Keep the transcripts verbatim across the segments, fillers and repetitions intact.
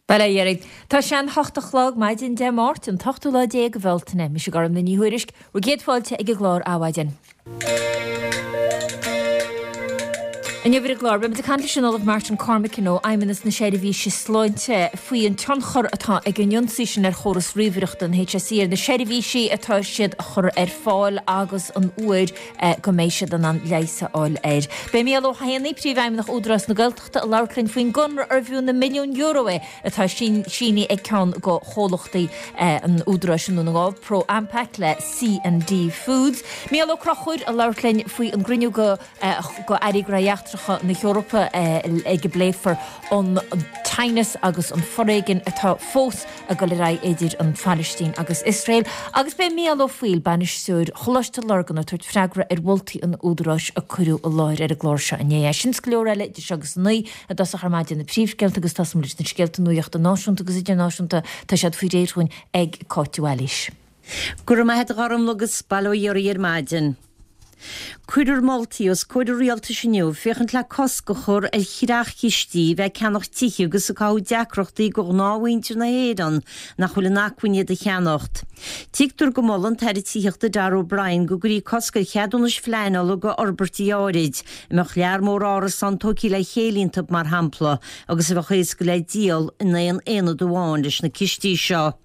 Bail ó Dhia oraibh. Tá sé an hocht a chlog maidin Dé Máirt, an t-ochtú lá déag de Bhealtaine. Mise Gormfhlaith Ní Thuairisg, bhur gcéad fáilte ag an gclár Adhmhaidin. Inniu ar an gclár, beimid ag caint leis an Ollamh Martin Cormican ó Fheidhmeannas na Seirbhíse Sláinte faoi an tionchar atá ag an ionsaí sin ar chóras ríomhaireachta an HSE ar na seirbhísí atá siad a chur ar fáil agus an uair go mbeidh siad in ann leigheas a fháil air. Beidh Mícheál Ó hÉanaí, Príomhfheidhmeannach Údarás na Gaeltachta, ag labhairt linn faoin gconradh arbh fhiú na milliúin euro é atá sínithe ag ceann de chomhlachtaí an Údaráis i nDún na nGall, Pro Ampac le C and D Foods. Mícheál Ó Conchúir ag labhairt linn faoi an gcruinniú de Airí Gnóthaí Eachtracha na hEorpa ag a bpléifear an teannas agus an foréigean atá fós ag dul ar aghaidh idir an Phalaistín agus Iosrael. Agus beidh Mícheál Ó Foighil, Bainisteoir Choláiste Lurgan ag tabhairt freagra ar mholtaí an Údaráis a cuireadh i láthair ar an gclár seo inné. Sin is go leor eile idir seo agus a naoi i dtosach ar maidin na príomhscéalta agus tosóimid leis na scéalta nuachta náisiúnta agus idirnáisiúnta. Tá siad faoi réir dhúinn ag Cáit de Bhailís. Go raibh maith agat a Ghormfhlaith agus bail ó Dhia oraibh ar maidin. Cuirfear moltaí os comhair an rialtais inniu féachaint le cosc a chur ar chreach-chistí a bheith ag ceannach tithe agus ag cothú deacrachtaí do ghnáthmhuintir na hÉireann nach bhfuil in acmhainn iad a cheannacht. Tuigtear go molfaidh an tAire Tithíochta Darragh O'Brien go gcuirfí cosc ar cheadúnais phleanála do fhorbairtí áirid, a mbeadh lear mór árasán tógtha le chéile iontu mar shampla, agus a bheadh éasca le díol in aon aonad amháin leis na cistí seo.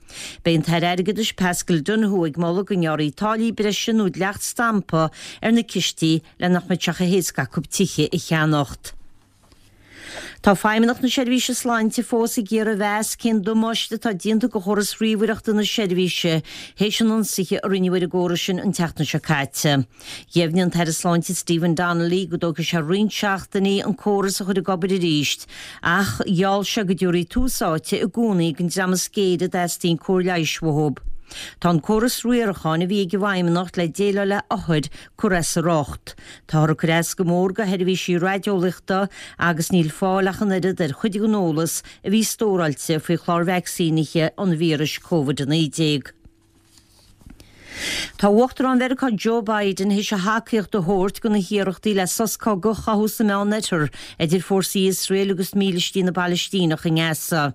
Beidh an tAire Airgeadais Paschal Donohoe ag moladh go ngearrfaí táillí breise nó dleacht stampa ar na cistí le nach mbeadh sé chomh héasca acu tithe a cheannacht. Tá Feidhmeannacht na Seirbhíse Sláinte fós ag iarraidh a mheas cén damáiste atá déanta do chóras ríomhaireachta na seirbhíse théis an ionsaithe a rinneadh ar an gcóras sin an tseachtain seo caite. Dheimhnigh an tAire Sláinte Stephen Donnelly go dtógfaidh sé roinnt seachtainí an córas a chur ag obair arís ach gheall sé go dtabharfaí tús áite i gcónaí don dream is géire a dteastaíonn cóir leighis uathu. Tá an córas riaracháin a bhí ag an bhFeidhmeannacht le déileáil le hothair curtha as a riocht. Táthar ag cur as go mór do sheirbhísí raideolaíochta agus níl fáil ach an oiread ar chuid den eolas a bhí stóráilte faoi chlár vacsaínithe an víris Covid a naoi déag. Tá Uachtarán Mheiriceá Joe Biden théis a thacaíocht a thabhairt do na hiarrachtaí le sos cogaidh a chothú sa Meánoirthear idir fórsaí Iosrael agus mílístí na bPalaistíneach i nGaza.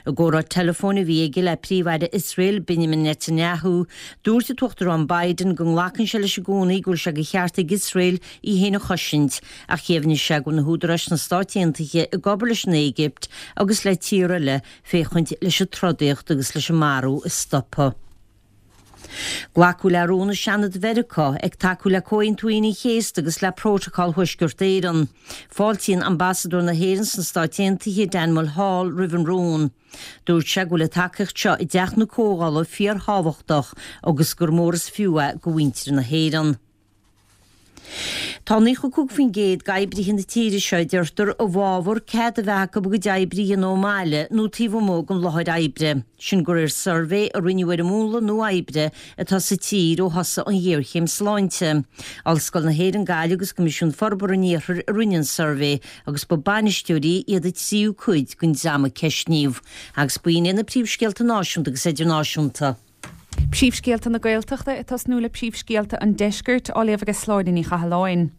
I gcomhrá teileafóin a bhí aige le Príomh-Aire Iosrael Benjamin Netanyahu, dúirt an tUachtarán Biden go nglacann sé leis i gcónaí go bhfuil sé de cheart ag Iosrael í féin a chosaint ach dheimhnigh sé go bhfuil na húdaráis sna Stáit Aontaithe ag obair leis an Éigipt agus le tíortha eile féachaint leis an trodaíocht agus leis an marú a stopadh. Glacadh le rún i Seanad Mheiriceá ag tacú le Comhaontú Aoine an Chéasta agus le Prótacal Thuaisceart Éireann. Fáiltíonn Ambasadóir na hÉireann sna Stáit Aontaithe, Dan Mulhall, roimh an rún. Dúirt sé go bhfuil an tacaíocht seo i dTeach na Comhdhála fíorthábhachtach agus gur mór is fiú é do mhuintir na hÉireann. Tá naocha cúig faoin gcéad d'oibrithe na tíre seo, a deirtear, i bhfabhar cead a bheith acu a gcuid oibre a dhéanamh ón mbaile nó taobh amuigh den láthair oibre. Sin de réir suirbhé a rinneadh ar an múnla nua oibre atá sa tír ó thosaigh an ghéarchéim sláinte. Ollscoil na hÉireann Gaillimh agus Coimisiún Forbartha an Iarthair a rinne an suirbhé agus ba bainisteoirí iad an tríú cuid den dream a ceistníodh. Agus b'in iad na príomhscéalta náisiúnta agus idirnáisiúnta. Príomhscéalta na Gaeltachta ag tosnú le príomhscéalta an Deiscirt á léamh ag Sláine Ní Chathalláin.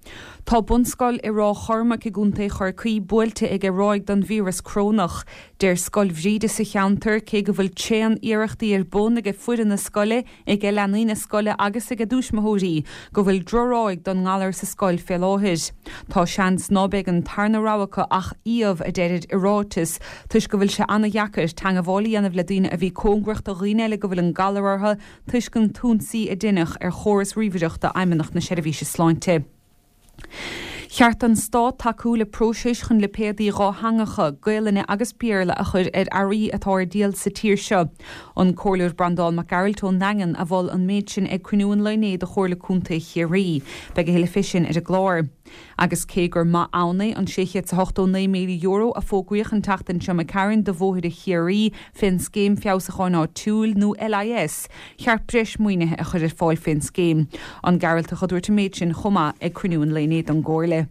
Tá bunscoil i Ráth Chormaic i gContae Chorcaí buailte ag ráig den víreas corónach. Deir Scoil Bhríde sa cheantar cé go bhfuil tréan iarrachtaí ar bun ag foireann na scoile, ag leanaí na scoile agus ag a dtuismitheoirí go bhfuil drochráig don ngalar sa scoil fé láthair. Tá seans ná beidh an tarna rogha acu ach iamh a deirid i ráiteas toisc go bhfuil sé an-dheacair teagmháil a dhéanamh le daoine a bhí cóngarach do dhaoine eile go bhfuil an galar orthu toisc an t-ionsaí a deineadh ar chóras ríomhaireachta Fheidhmeannacht na Seirbhíse Sláinte. Cheart don Stát tacú le próiseas chun lipéadaí dhátheangacha, Gaelainne agus Béarla, a chur ar earraí atá ar díol sa tír seo. An Comhairleoir Breandán Mac Gearailt ón nDaingean a mhol an méid sin ag cruinniú an lae inné de Chomhairle Contae Chiarraí. Beidh a thuilleadh fé sin ar an gclár. Agus cé gur maith ann é an sé chéad 's a hochtó naoi míle euro a fógraíodh an tseachtain seo imigh tharainn do bhóithre Chiarraí fén Scéim Feabhsúcháin Áitiúil, nó LIS, cheart breis maoinithe a chur ar fáil fén scéim. An Gearaltach a dúirt an méid sin chomh maith ag cruinniú an lae inné don gComhairle.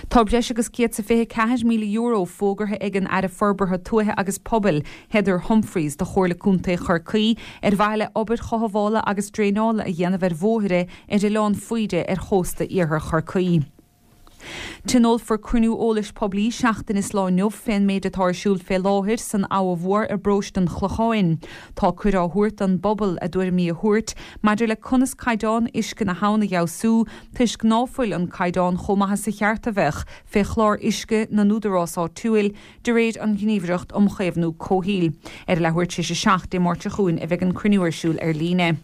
Tá breis agus céad 's a fiche ceathair míle euro fógartha ag an Aire Forbartha Tuaithe agus Pobail, Heather Humphreys, do Chomhairle Contae Chorcaí ar mhaithe le obair chothabhála agus draenála a dhéanamh ar bhóithre ar Oileán Faoide ar chósta iarthar Chorcaí. Tionólfar cruinniú eolais poiblí seachtain is lá inniu fén méid atá ar siúl fé láthair san Abha Mhór i bparóiste an Chlocháin. Tá cuireadh á thabhairt don bpobal a dtuairimí a thabhairt maidir le conas caighdeán uisce na habhann a fheabhsú toisc ná fuil an caighdeán chomh maith is a cheart a bheadh fé chlár uisce na n-údarás áitiúil de réir an Ghníomhaireacht um Chaomhnú Comhshaoil. Ar a leathuair tar éis a seacht Dé Máirt seo chugainn a bheidh an cruinniú ar siúl ar líne.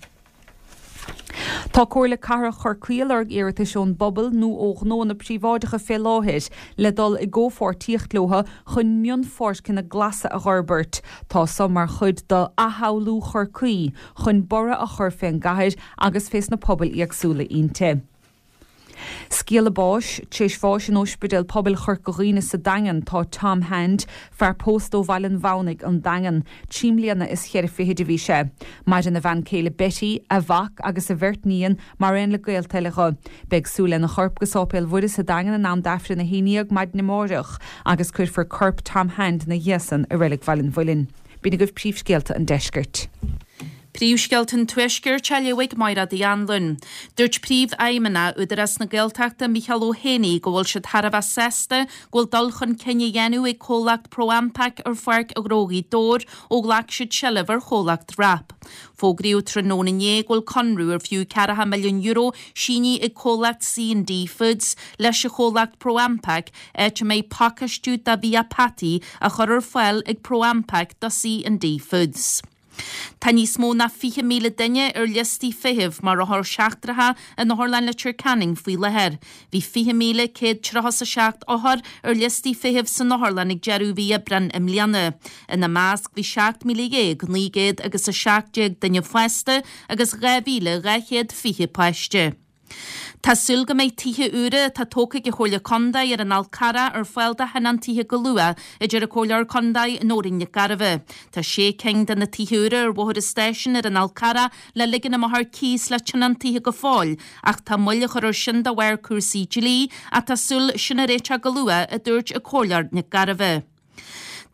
Tá Comhairle Cathrach Chorcaí ag lorg iarratais ón bpobal nó ó ghnóanna príobháideacha fé láthair le dul i gcomhpháirtíocht leo chun mionpháirceanna glasa a dh'fhorbairt. Tá so mar chuid d'athshamhlú Chorcaí chun borradh a chur fén gcathair agus fés na pobail éagsúla inti. Scéala báis, Tar éis bháis in Ospidéal Pobail Chorca Dhuibhne sa Daingean tá Tom Hand, fear pósta ó Bhaile an Mhamhnaigh an Daingean, trí mbliana is cheithre fichid a bhí sé. Maireann a bhean céile Betty, a mhac agus a bheirt níon mar aon le gaolta eile dho. Beidh súil lena chorp go Sáipéal Mhuire sa Daingean in am d'Aifreann a haon déag maidin amáireach agus cuirfear corp Tom Hand ina dhiaidh san i Reilig Bhaile an Mhuilinn. B'in agaibh príomhscéalta an deiscirt. Príomhscéalta an Tuaiscirt á léamh ag Máire Uí Anluain. Dúirt Príomhfheidhmeannach Údarás na Gaeltachta Micheál Ó Héanaí go bhfuil siad thar a bheith sásta go bhfuil dul chun cinn á dhéanamh ag comhlacht ProAmpac ar Pháirc Ghnó Ghaoth Dobhair ó ghlac siad seilbh ar chomhlacht WRAP. Fógraíodh tráthnóna inné go bhfuil conradh ar fiú ceathracha milliún euro sínithe ag comhlacht C and D Foods leis an chomhlacht ProAmpac áit a mbeidh pacáistiú de bhia peataí á chur ar fáil ag ProAmpac do C and D Foods. Tá níos mó ná fiche míle duine ar liostaí feithimh mar othair seachtracha in Otharlann Leitir Ceanainn faoi láthair. Bhí fiche míle céad tríocha a seacht othar ar liostaí feithimh san otharlann ag deireadh mhí Aibreáin i mbliana. Ina measc bhí seacht míle dhéag naoi gcéad agus a seacht déag duine fásta agus dhá mhíle dhá chéad fiche páiste. Tá súil go mbeidh tithe úra atá tógtha ag an Chomhairle Contae ar an Fhál Carrach ar fáil do thionóntaithe go luath, a deir an Comhairleoir Contae Nóirín Nic Gairbheith. Tá sé cinn de na tithe úra ar Bhóthar an Stáisiúin ar an Fhál Carrach le ligean amach ar cíos le tionóntaithe go fóill, ach tá moill á chur air sin de bharr cúrsaí dlí ach tá súil sin a réiteach go luath, a dúirt an Comhairleoir Nic Gairbheith.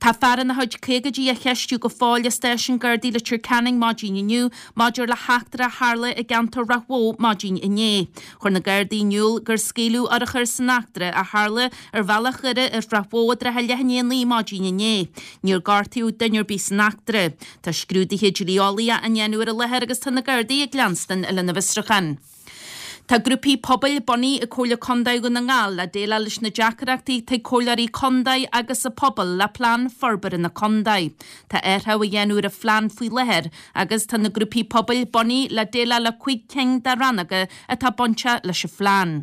Tá fear ina chuid caogaidí á cheistiú go fóill i Stáisiún Gardaí Leitir Ceanainn maidin inniu maidir le heachtra a tharla i gceantar Ráth Bhoth maidin inné. Chuir na Gardaí in iúl gur scaoileadh urchar san eachtra a tharla ar bhealach Dhoire i Ráth Bhoth i dtrátha leath i ndiaidh a naoi maidin inné. Níor gortaíodh duine ar bith san eachtra. Tá scrúduithe dlí-eolaíocha á ndéanamh ar an láthair agus tá na Gardaí ag leanstan lena bhfiosrúchán. Tá grúpaí pobail bunaithe ag Comhairle Contae Dhún na nGall le déileáil leis na deacrachtaí atá ag comhairleoirí contae agus an pobal le plean forbartha na contae. Tá athrú á dhéanamh ar an phlean faoi láthair agus tá na grúpaí pobail bunaithe le déileáil le cúig cinn de rannóga atá bainteach leis an phlean.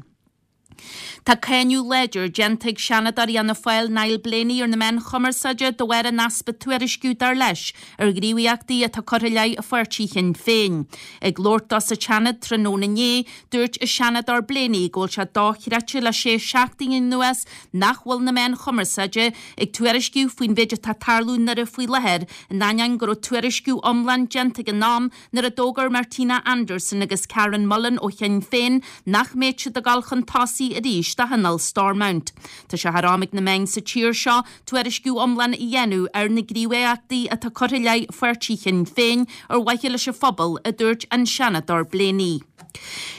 Tá cáineadh láidir déanta ag Seanadóir Fhianna Fáil Niall Blaney ar na meáin chumarsáide de bharr an easpa tuairisciú dar leis ar ghníomhaíochtaí atá curtha i leith a pháirtí Shinn Féin. Ag labhairt dó sa tSeanad tráthnóna inné, dúirt an Seanadóir Blaney go bhfuil sé dochreidte le sé seachtaine anuas nach bhfuil na meáin chumarsáide ag tuairisciú faoin mhéid atá ag tarlú i nDoire faoi láthair, in ainneoin go raibh tuairisciú iomlán déanta ag an am nuair a d'fhógair Martina Anderson agus Karen Mullen ó Shinn Féin nach mbeadh siad ag dul chun tosaigh arís do Thionól Stormont. Tá sé thar am ag na meáin sa tír seo tuairisciú iomlán a dhéanamh ar na gníomhaíochtaí atá curtha i leith pháirtí Shinn Féin ar mhaithe leis an phobal, a dúirt an Seanadóir Blaney.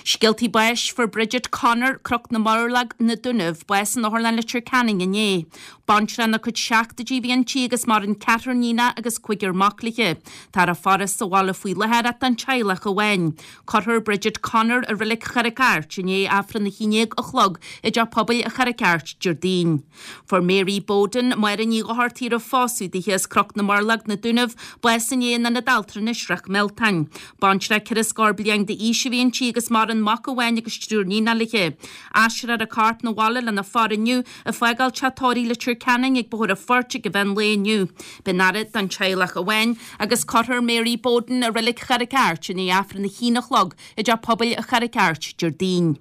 Scéaltaí báis Fuair Bridget Connor, Cnoc na Murlog, Na Dúnaibh, bás in Otharlann Leitir Ceanainn inné. Baintreach ina cuid seachtóidí a bhí inti agus maireann ceathrar níonach agus cúigear mac léi. Táthar á faire sa bhaile faoi láthair ach don teaghlach amháin. Cuirfear Bridget Connor i Reilig Charraig Airt i ndiaidh Aifreann a haon déag a chlog i dTeach Pobail Charraig Airt Déardaoin. Fuair Mary Bowden, Máire Ní Dhochartaigh a raibh pósadh dithe as Cnoc na Murlog, Na Dúnaibh, bás inné in Ionad Altranais Shroich Mealtáin. Baintreach ceithre scór bliain d'aois a bhí inti agus maireann mac amháin agus triúr níonach léi. Aistreofar a corp 'na bhaile lena faire inniu ag fágáil teach tórraimh Leitir Ceanainn ag Bóthar an Phoirt ag an mheán lae inniu. Beidh an fhaire don teaghlach amháin agus cuirfear Mary Bowden i Reilig Charraig Airt i ndiaidh Aifreann a haon a chlog i dTeach Pobail Charraig Airt Déardaoin.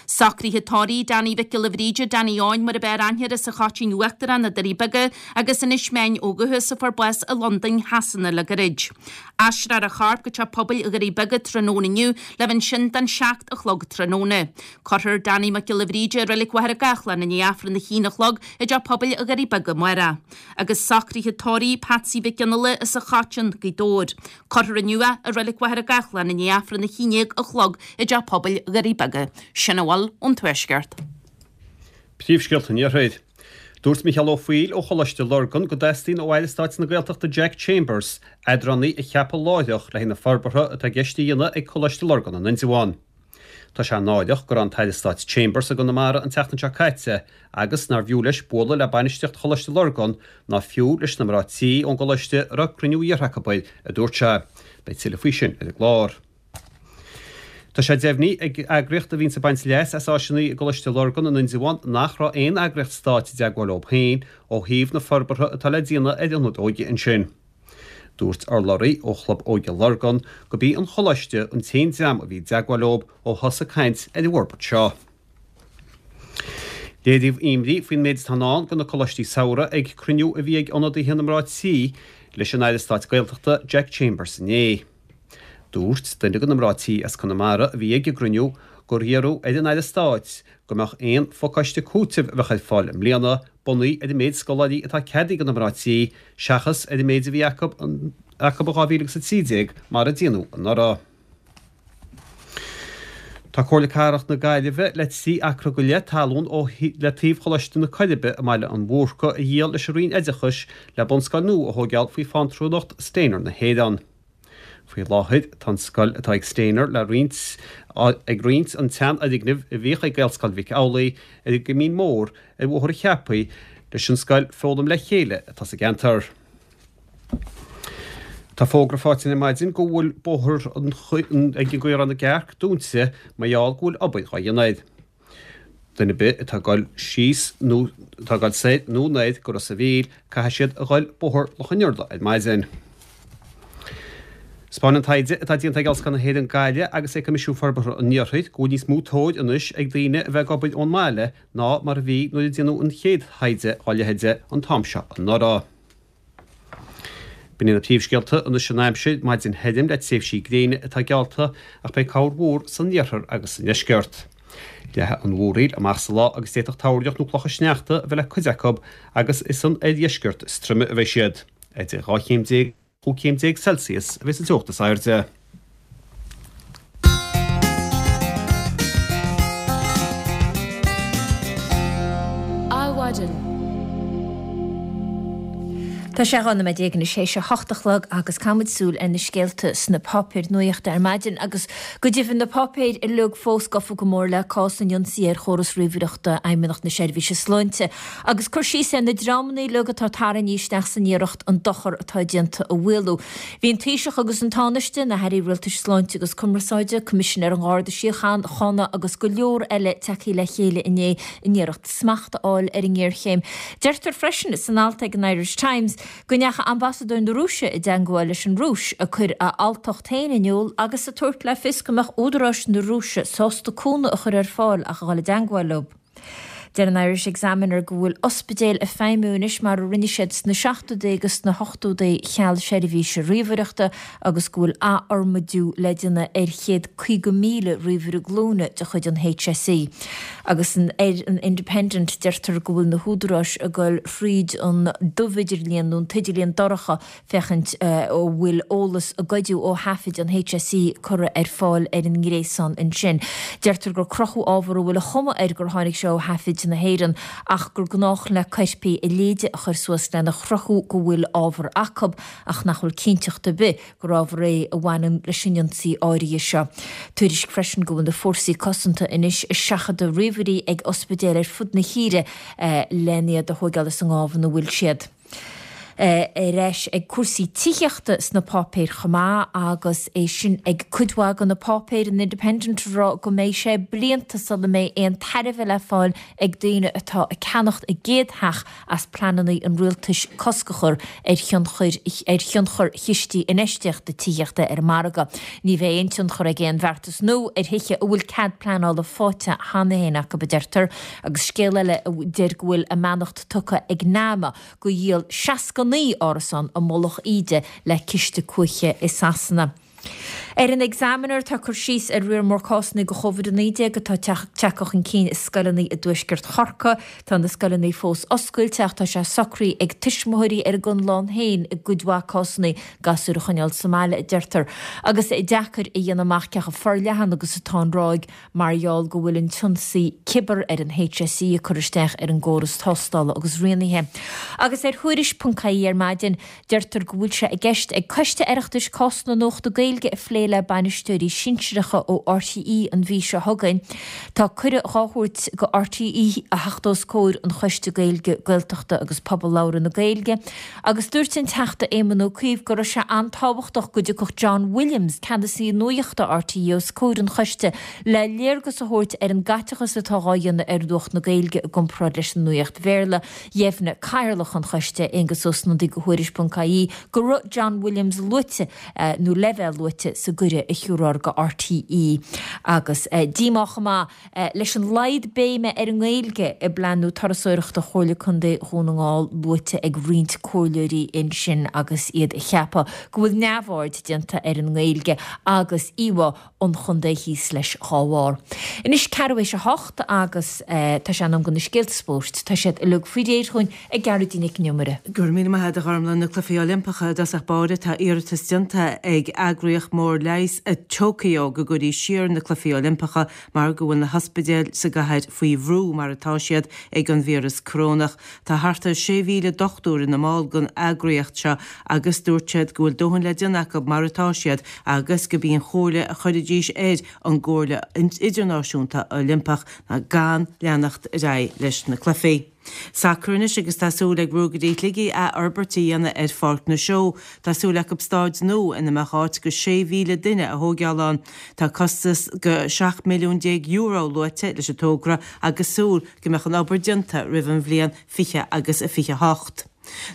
Socruithe tórraimh Danny Mhic Giolla Bhríde, Danny Eoin mar ab fhearr aithne air as an Choitín Uachtarach, Na Doirí Beaga agus Inis Meáin ó dhúchas a fuair bás i Londain Shasana le gairid. Aistreofar a chorp go Teach Pobail Dhoirí Beaga tráthnóna inniu le bheith ansin don seacht a chlog tráthnóna. Cuirfear Danny Mac Giolla Bhríde i Reilig Mhachaire Gathlán i ndiaidh Aifreann a haon a chlog i dTeach Pobail Dhoirí Beaga amárach. Agus socruithe tórraimh Patsy Mhic Fhionnghaile as an Choitín, Gaoth Dobhair. Cuirfear inniu é i Reilig Mhachaire Gathlán i ndiaidh Aifreann a haon déag a chlog i dTeach Pobail Dhoirí Beaga. Sin a bhfuil ón Tuaisceart. Príomhscéalta an Iarthair. Dúirt Micheál Ó Foighil ó Choláiste Lurgan go dteastaíonn ó Aire Stáit na Gaeltachta Jack Chambers eadránaí a cheapadh láithreach le haghaidh na forbartha atá i gceist a dhéanamh ag Coláiste Lurgan in Indreabhán. Tá sé náireach go raibh an tAire Stáit Chambers i gConamara an tseachtain seo caite agus nár bhfiú leis bualadh le bainistíocht Choláiste Lurgan ná fiú leis na mná tí ón gcoláiste a raibh cruinniú iarrtha acu air, a dúirt sé. Beidh tuilleadh faoi sin ar an gclár. Tá sé deimhnithe ag eagraíocht a bhíonns ag baint leas as áiseanna i gColáiste Lurgan in Indreabhán nach raibh aon eagraíocht stáit i dteagmháil leo féin ó thaobh na forbartha atá le déanamh ar ionad óige ansin. Dúirt urlabhraí ó Chlub Óige Lurgan gurb í an Choláiste an t-aon dream a bhí i dteagmháil leo ó thosaigh caint ar an bhforbairt seo. Léiríodh imní faoin méid atá i ndán do na coláistí samhraidh ag cruinniú a bhí ag ionadaithe na mná tí leis an Aire Stáit Gaeltachta Jack Chambers inné. Dúirt duine de na mná tí as Conamara a bhí ag an gcruinniú gur iarradh ar an Aire Stáit go mbeadh aon phacáiste cúitimh a bheadh ar fáil i mbliana bunaithe ar an méid scoláirí atá ceadaithe do na mná tí seachas ar an méid a bhí acu acu in dhá mhíle agus a trí déag mar a déanadh anuraidh. Tá Comhairle Cathrach na Gaillimhe le trí acra go leith talún ó le taobh Choláiste na Coiribe i mBaile an Bhúrcaigh a dhíol leis an Roinn Oideachais le bunscoil nua a thógáil faoi phátrúnacht Steiner na hÉireann. Faoi láthair, tá an scoil atá ag Steiner le roinnt ag roinnt an tseanfhoirgnimh a bhíodh ag Gaelscoil Mhic Amhlaigh ar an gCoimín Mór ar Bhóthar an Cheapaigh leis an scoil Foghlaim le Chéile atá sa gceantar. Tá fógra faighte ar maidin go bhfuil bóthar ag an gCaorán na gCearc dúnta mar gheall go bhfuil obair dhá dhéanamh air. Duine ar bith atá ag dul síos nó atá ag dul soir nó anoir go Ros a' Mhíl, caithfidh siad a dhul Bóthar Loch an Iorla ar maidin. 'Spáineann taighde atá déanta ag Ollscoil na hÉireann Gaillimh agus ag Coimisiún Forbartha an Iarthair go bhfuil níos mó tóir anois ag daoine a bheith ag obair ón mbaile ná mar a bhí nuair a déanadh an chéad taighde dá leithéid an t-am seo anuraidh. B'in iad na príomhscéalta anois an aimsir, maidin thirim le tréimhsí gréine atá geallta ach beidh corrmhúr san iarthar agus sa ndeisceart. Leathfaidh an mhúraíl amach sa lá agus d'fhéadfadh toirneach nó clocha sneachta a bheith le cuid acu agus is san oirdheisceart is troime a bheidh siad. Idir dhá chéim déag Cúig chéim déag Celsius a bheidh sa teocht is airde. Adhmhaidin. Tá sé dhá nóiméad déag anois théis a hocht a chlog agus caithfimid súil ar na scéalta sna páipéir nuachta ar maidin agus go deimhin na páipéir uilig fós gafa go mór le cás an ionsaí ar chóras ríomhaireachta Fheidhmeannacht na Seirbhíse Sláinte agus cur síos ar na dreamanna uilig atá tarraingthe isteach san iarracht an dochar atá déanta a mhaolú. Bhí an Taoiseach agus an Tánaiste, na hAirí Rialtais Sláinte agus Cumarsáide, Coimisinéir an Gharda Síochána agus go leor eile tagtha le chéile inné in iarracht smacht a fháil ar an ngéarchéim. Deirtear freisin san alt ag an Irish Times go ndeachaigh ambasadóir na Rúise i dteagmháil leis an Rúis, ag cur a alltacht féin in iúl agus ag tabhairt le fios go mbeadh údaráis na Rúise sásta cúnamh a chur ar fáil ach a dhul i dteagmháil leo. Deir an Irish Examiner go bhfuil ospidéil ag feidhmiú anois mar a rinne siad sna seachtóidí agus sna hochtóidí cheal seirbhíse ríomhaireachta agus go bhfuil athfhormaidiú le déanamh ar chéad caoga míle ríomhaire glúine de chuid an HSE. Agus ar an Independent deirtear go bhfuil na húdaráis ag dul thríd an dubh-idirlíon nó an t-idirlíon dorcha féachaint an bhfuil eolas a goideadh ó thaifid an HSE curtha ar fáil ar an ngréasán ansin. Deirtear gur crochadh ábhar a bhfuil an chuma air gur tháinig sé ó thaifid na hÉireann ach gur gnách le coirpigh a leithéide a chur suas lena chruthú go bhfuil ábhar acu ach nach bhfuil cinnteacht ar bith gur ábhar é a bhaineann leis an ionsaí áirithe seo. Tuairisc freisin go bhfuil na fórsaí cosanta anois ag seachadadh ríomhairí ag ospidéil ar fud na tíre len iad a thóigeáil as an ngábh ina bhfuil siad. Ar ais ag cúrsaí tithíochta sna páipéir chomh maith agus é sin ag cuid mhaith de na páipéir, an Independent ag rá go mbeidh sé blianta sula mbeidh aon tairbhe le fáil ag daoine atá ag ceannacht a gcéad theach as pleananna an rialtais cosc a chur ar thionchar ar thionchar chistí infheistíochta tithíochta ar an margadh. Ní bheidh aon tionchar ag aon bheartas nua ar thithe a bhfuil cead pleanála faighte cheana féin acu, a deirtear. Agus scéal eile a deir go bhfuil a mbeannacht tugtha ag NAMA do dhíol seasca naoi árasán i Mullach Íde le ciste cuache i Sasana. Ar an Examiner tá cur síos ar riar mór cásanna de Covid a naoi déag atá tagtha chun cinn i scoileanna i dtuaisceart Chorcaí. Tá na scoileanna fós oscailte ach tá sé socraithe ag tuismitheoirí ar a gconlán féin i gcuid mhaith cásanna gasúir a choinneáil sa mbaile, a deirtear. Agus deacair a dhéanamh amach cé chomh forleathan agus atá an ráig mar gheall go bhfuil an t-ionsaí cibear ar an H S E ag cur isteach ar an gcóras tástála agus rianaithe. Agus ar Thuairisc ponc ie ar maidin, deirtear go bhfuil sé i gceist ag Coiste Oireachtais cás na nuachta Gaeilge a phlé le bainisteoirí sinsearacha ó R T É an mhí seo chugainn. Tá cuireadh dhá thabhairt go R T É a theacht os comhair an Choiste Gaeilge, Gaeltachta agus Pobal Labhartha na Gaeilge, agus dúirt an Teachta Éamon Ó Cuív go raibh sé an-tábhachtach go dtiocfadh John Williams, ceannasaí nuachta R T É, os comhair an choiste le léargas a thabhairt ar an gcaiteachas atá á dhéanamh ar nuacht na Gaeilge i gcomparáid leis an nuacht Bhéarla. Dheimhnigh Cathaoirleach an choiste, Aengus Ó Snodaigh, do Thuairisc ponc I E go raibh John Williams luaite nó le bheith luaite sa gcuireadh a thabharfar go R T É. Agus díomá chomh maith leis an laghad béime ar an nGaeilge i bplean nua turasóireachta Chomhairle Contae Dhún na nGall luaite ag roinnt comhairleoirí ansin agus iad ag ceapadh go bhfuil neamhaird déanta ar an nGaeilge agus íomhá an chontae thíos leis dhá bharr. Anois ceathrú théis a hocht agus tá sé in am do na scéalta spóirt. Tá siad uilig faoi réir chugainn ag Gearóidín Nic an Iomaire. Go raibh míle maith agat, a Ghormlaith. Na Cluichí Oilimpeacha i dtosach báire, tá iarratas déanta ag eagraíocht mór leighis i Tokyo go gcuirfí siar na Cluichí Oilimpeacha mar go bhfuil na hospidéil sa gcathair faoi bhrú mar atá siad ag an víreas corónach. Tá thart ar sé mhíle dochtúir ina mball den eagraíocht seo agus dúirt siad go bhfuil dóthain le déanamh acu mar atá siad agus gurb í an chomhairle a chuirfidís ar an gComhairle Idirnáisiúnta Oilimpeach ná gan leanacht ar aghaidh leis na cluichí. Sacar anois agus tá súil ag Ruagairí Shligigh athfhorbairt a dhéanamh ar Pháirc na Seó. Tá súil acu staid nua ina mbeadh áit go sé mhíle duine a thógáil ann. Tá costas go seacht milliún déag euro luaite leis an togra agus súil go mbeadh an obair déanta roimh an bhliain fiche agus a fiche hocht.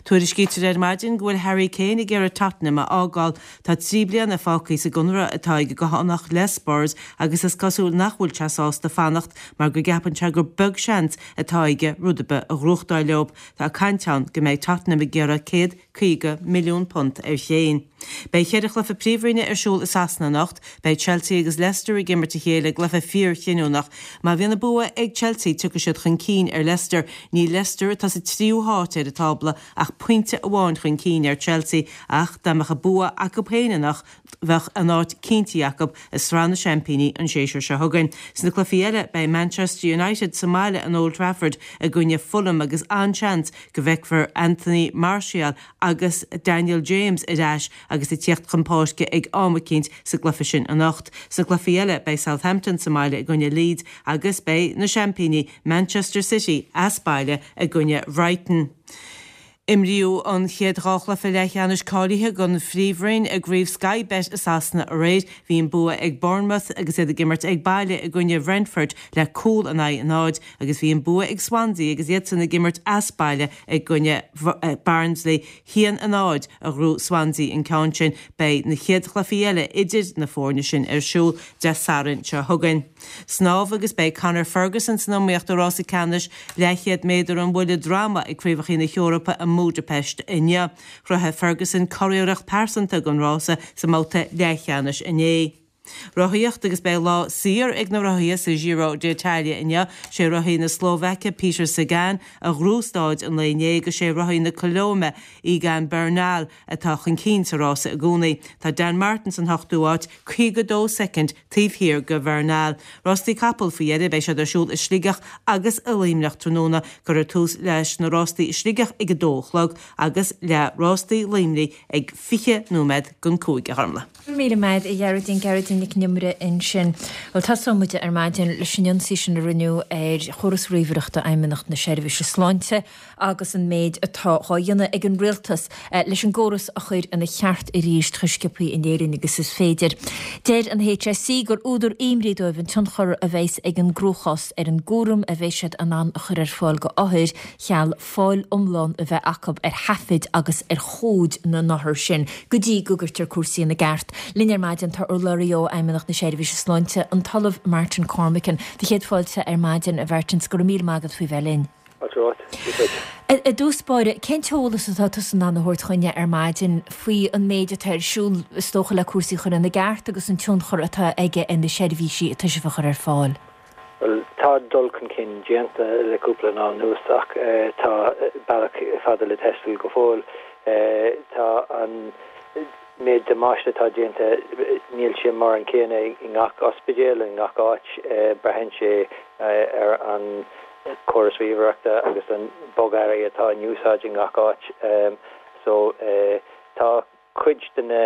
Tuairiscítear ar maidin go bhfuil Harry Kane ag iarraidh Tottenham a fhágáil. Tá trí bliana fágtha sa gconradh atá ag an gCathánach le Spurs agus is cosúil nach bhfuil sé sásta fanacht mar go gceapann sé gur beag seans atá aige rud ar bith a ghnóthachtáil leo. Tá caint ann go mbeidh Tottenham ag iarraidh céad caoga milliún punt ar Kane. Beidh ceithre chluiche príomhroinne ar siúl i Sasana anocht, beidh Chelsea agus Leicester ag imirt a chéile, cluiche fíorchinniúnach. Má bhíonn an bua ag Chelsea tiocfaidh siad chun cinn ar Leicester. Níl Leicester, atá sa tríú háit ar an tábla, ach pointe amháin chun cinn ar Chelsea ach dá mbeadh an bua acu féin anocht bheadh an áit cinnte acu i Sraith na Seaimpíní an séasúr seo chugainn. Sna cluichí eile beidh Manchester United sa mbaile in Old Trafford i gcoinne Fulham agus an-seans go bhfeicfear Anthony Martial agus Daniel James ar ais agus ag tíocht chun páirce ag am eicínt sa gcluiche sin anocht. Sna cluichí eile beidh Southampton sa mbaile i gcoinne Leeds agus beidh na seaimpíní Manchester City as baile i gcoinne Brighton. Imríodh an chéad dhá chluiche leathcheannais cáilithe don Phríomhroinn i gCraobh Sky Bet i Sasana aréir. Bhí an bua ag Bournemouth agus iad ag imirt ag baile i gcoinne Brentford le cúl in aghaidh a náid agus bhí an bua ag Swansea agus iadsan ag imirt as baile i gcoinne Barnsley. Haon a náid a ghnóthaigh Swansea an ceann sin. Beidh na chéad chluichí eile idir na foirne sin ar siúl Dé Sathairn seo chugainn. Snámh agus beidh Conor Ferguson san iomaíocht i rása ceannais leathchéad méadar an bhuille droma ag Craobhacha na hEorpa i mBudapest inniu. Chruthaigh Ferguson curiarracht pearsanta don rása sa mbabhta leathcheannais inné. Rothaíocht agus beidh lá saor ag na rothaithe sa Giro d'Italia inniu. Sé rothaí na Slóvaice Peter Sagan a ghnóthaigh staid an lae inné agus sé rothaí na Colóime Egan Bernal atá chun cinn sa rása i gcónaí. Tá Dan Martin san ochtú háit, caoga dó soicind taobh thiar de Bernal. Rástaí capall faoi dheireadh. Beidh siad ar siúl i Sligeach agus i Luimneach tráthnóna. Cuirfear tús leis na rástaí i Sligeach ag a dó a chlog agus le rástaí Luimnigh ag fiche nóiméad don cúig, a Ghormlaith. Míle maith a Ghearóidín. Gearóidín Nic an Iomaire ansin. Bhuel, tosóidh muid ar maidin leis an ionsaí sin a rinneadh ar chóras ríomhaireachta Fheidhmeannacht na Seirbhíse Sláinte agus an méid atá á dhéanamh ag an rialtas leis an gcóras a chur ina cheart arís chomh sciobtha in Éirinn agus is féidir. Deir an H S E gur údar imní dóibh an tionchar a bheas ag an gcruachás ar an gcúram a bheidh siad in ann a chur ar fáil go othair cheal fáil iomlán a bheith acu ar thaifid agus ar chomhaid na n-othar sin go dtí go gcuirtear cúrsaí ina gceart. Linn ar maidin tá urlabhraí ó Fheidhmeannacht na Seirbhíse Sláinte, an tOllamh Martin Cormican. Do chéad fáilte ar maidin, a Mhartin, go raibh míle maith agat faoi bheith linn. I dtús báire, cén t-eolas atá tusa in ann a thabhairt chugainne ar maidin faoi an méid atá ar siúl, is dócha, le cúrsaí a chur ina gceart agus an tionchar atá aige ar na seirbhísí atá sibh a chur ar fáil? Bhuel, tá dul chun cinn déanta le cúpla lá anuas ach tá bealach fada le taisteal go fóill. Tá an méid damáiste atá déanta, níl sé mar an céanna i ngach ospidéal, i ngach áit. Braitheann sé ar an córas ríomhaireachta agus an bogearraí atá in úsáid i ngach áit. So tá cuid de na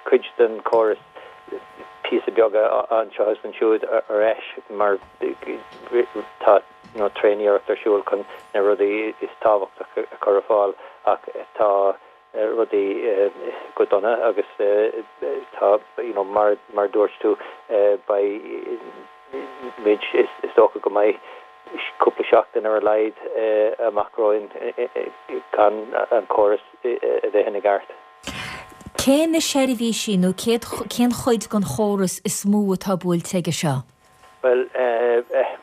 cuid den chóras píosa beaga anseo is ansiúd ar ais mar tá you know tréaniarracht ar siúl chun na rudaí is tábhachtach a chur ar fáil ach tá rudaí go dona agus tá you know mar mar dúirt tú beidh muid is dócha go mbeidh cúpla seachtain ar a laghad amach romhainn gan an córas a bheith ina gceart. Cé na seirbhísí nó cén chuid den chóras is mó atá buailte aige seo? Bhuel,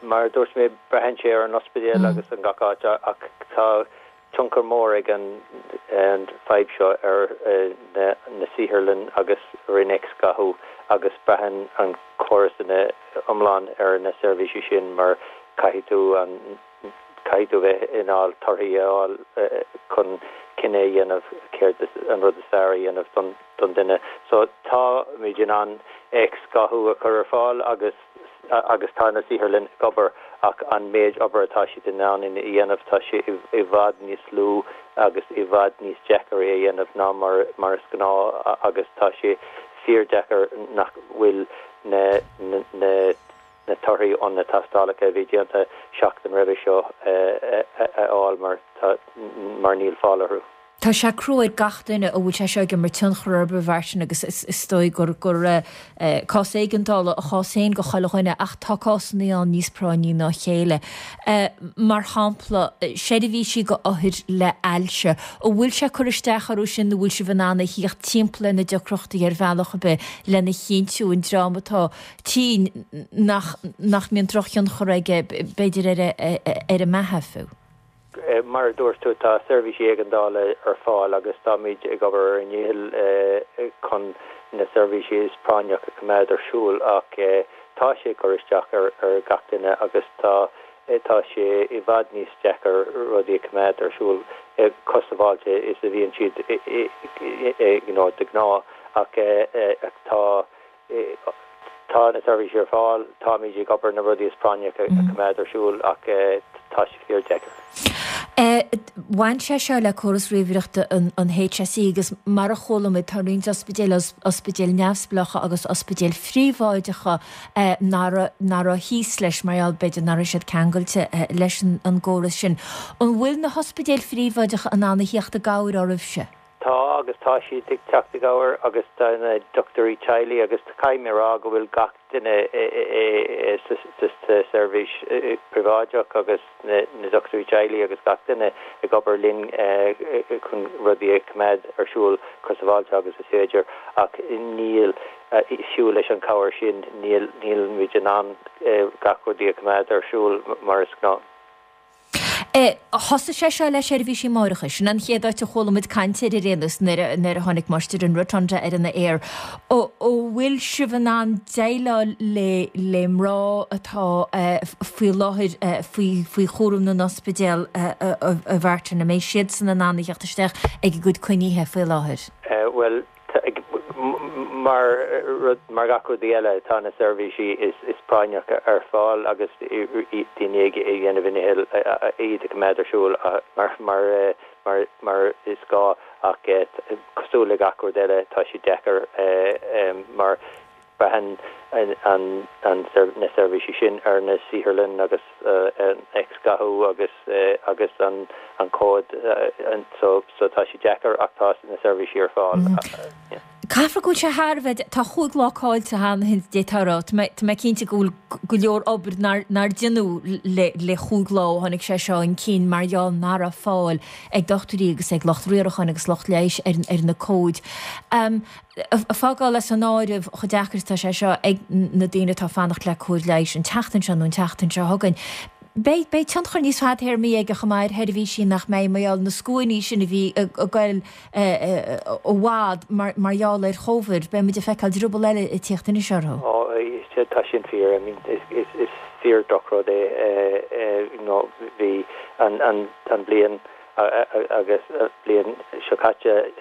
mar a dúirt mé, braitheann sé ar an ospidéal agus an gach áit ach tá tionchar mór ag an fadhb seo ar na saotharlann agus ar an X-ghathú agus braitheann an córas ina iomlán ar na seirbhísí sin mar caithfidh tú an caithfidh tú bheith in ann torthaí a fháil chun cinneadh a dhéanamh céard an rud is fearr a dhéanamh don don duine. So táimid in ann X-ghathú a chur ar fáil agus agus tá na saotharlann ag obair ach an méid obair atá siad in ann a dhéanamh tá sé i bhfad níos lú agus i bhfad níos deacair é a dhéanamh ná mar mar is gnáth agus tá sé fíordeacair nach bhfuil na na na torthaí ó na tástálacha a bhí déanta seachtain roimhe seo a fháil mar tá mar níl fáil orthu. Tá sé crua ar gach duine a bhfuil sé seo ag imirt tionchar orthu, a Mhartin, agus is dóigh gur gur cás éigeandála a chás féin go chuile dhuine ach tá cásanna ann níos práinní ná a chéile. Mar shampla, seirbhísí go othair le ailse, an bhfuil sé ag cur isteach orthu sin nó bhfuil sibh in ann a thíocht timpeall ar na deacrachtaí ar bhealach ar bith lena chinntiú an dream atá tinn nach nach mbíonn drochthionchar aige b'fhéidir ar ar a mbeatha fiú? Mar a dúirt tú, tá seirbhísí éigeandála ar fáil agus táimid ag obair ar ár ndícheall chun na seirbhísí is práinneach a choimeád ar siúl ach tá sé ag cur isteach ar gach duine agus tá tá sé i bhfad níos deacair rudaí a choimeád ar siúl chomh sábháilte is a bhíonn siad you know de ghnáth ach tá Tá na seirbhísí ar fáil, táimid ag obair na rudaí is práinneach a choimeád ar siúl ach tá sé fíor-deacair. Bhain sé seo le córas ríomhaireachta an H S E agus mar a chuala muid tá roinnt ospidéil, ospidéil neamhspleácha agus ospidéil phríobháideacha nach raibh thíos leis mar gheall b'fhéidir nach raibh siad ceangailte leis an gcóras sin. An bhfuil na hospidéil phríobháideacha in ann a thíocht i gcabhair oraibhse? Tá agus tá siad ag teacht i gcabhair agus tá na dochtúirí teaghlaigh agus caithfidh mé a rá go bhfuil gach duine sa seirbhís príobháideach agus na dochtúirí teaghlaigh agus gach duine ag obair linn chun rudaí a choimeád ar siúl chomh sábháilte agus is féidir ach níl fiú leis an cabhair sin níl níl muid in ann gach rudaí a choimeád ar siúl mar is gnáth. Thosaigh sé seo le seirbhísí máithreachais. Sin an chéad áit a chuala muid caint air ar aon nós nuair a tháinig muid ar an Rotunda ar an aer. An bhfuil sibh in ann déileáil le le mná atá faoi láthair faoi faoi chúram na n-ospidéal a Mhartin, an mbeidh siadsan in ann a theacht isteach ag a gcuid coinnithe faoi láthair? Bhuel, mar rud mar gach rud eile tá na seirbhísí is is práinneach ar fáil agus daoine ag déanamh a ndícheall iad a choimeád ar siúl mar mar mar mar is gá ach cosúil le gach rud eile tá sé deacair mar braitheann an an an na seirbhísí sin ar na saotharlann agus an X-ghathú agus agus an an cód so so tá sé deacair ach tá na seirbhísí ar fáil. Caithfidh go bhfuil sé thar a bheith, tá chúig lá caillte cheana féin d'fhéadfá a rá. Tá mé tá mé cinnte go bhfuil go leor obair nár nár deineadh le le chúig lá ó tháinig sé seo chun cinn mar gheall nach raibh fáil ag dochtúirí agus ag lucht riaracháin agus lucht leighis ar ar na comhaid. Um, ag fágáil as an áireamh chomh deacair atá sé seo ag na daoine atá ag fanacht le cóir leighis an tseachtain seo nó an tseachtain seo chugainn. Beidh beidh tionchar níos fadtéarmaí aige chomh maith ar sheirbhísí nach mbeidh mar gheall na scuainí sin a bhí ag goil i bhfad mar mar gheall ar Chóvid, beidh muid ag feiceáil druball eile ag tíocht anois orthu. Ó tá sin fíor, I mean is is is fíor drochrud é you know bhí an an an bliain agus bliain seo caite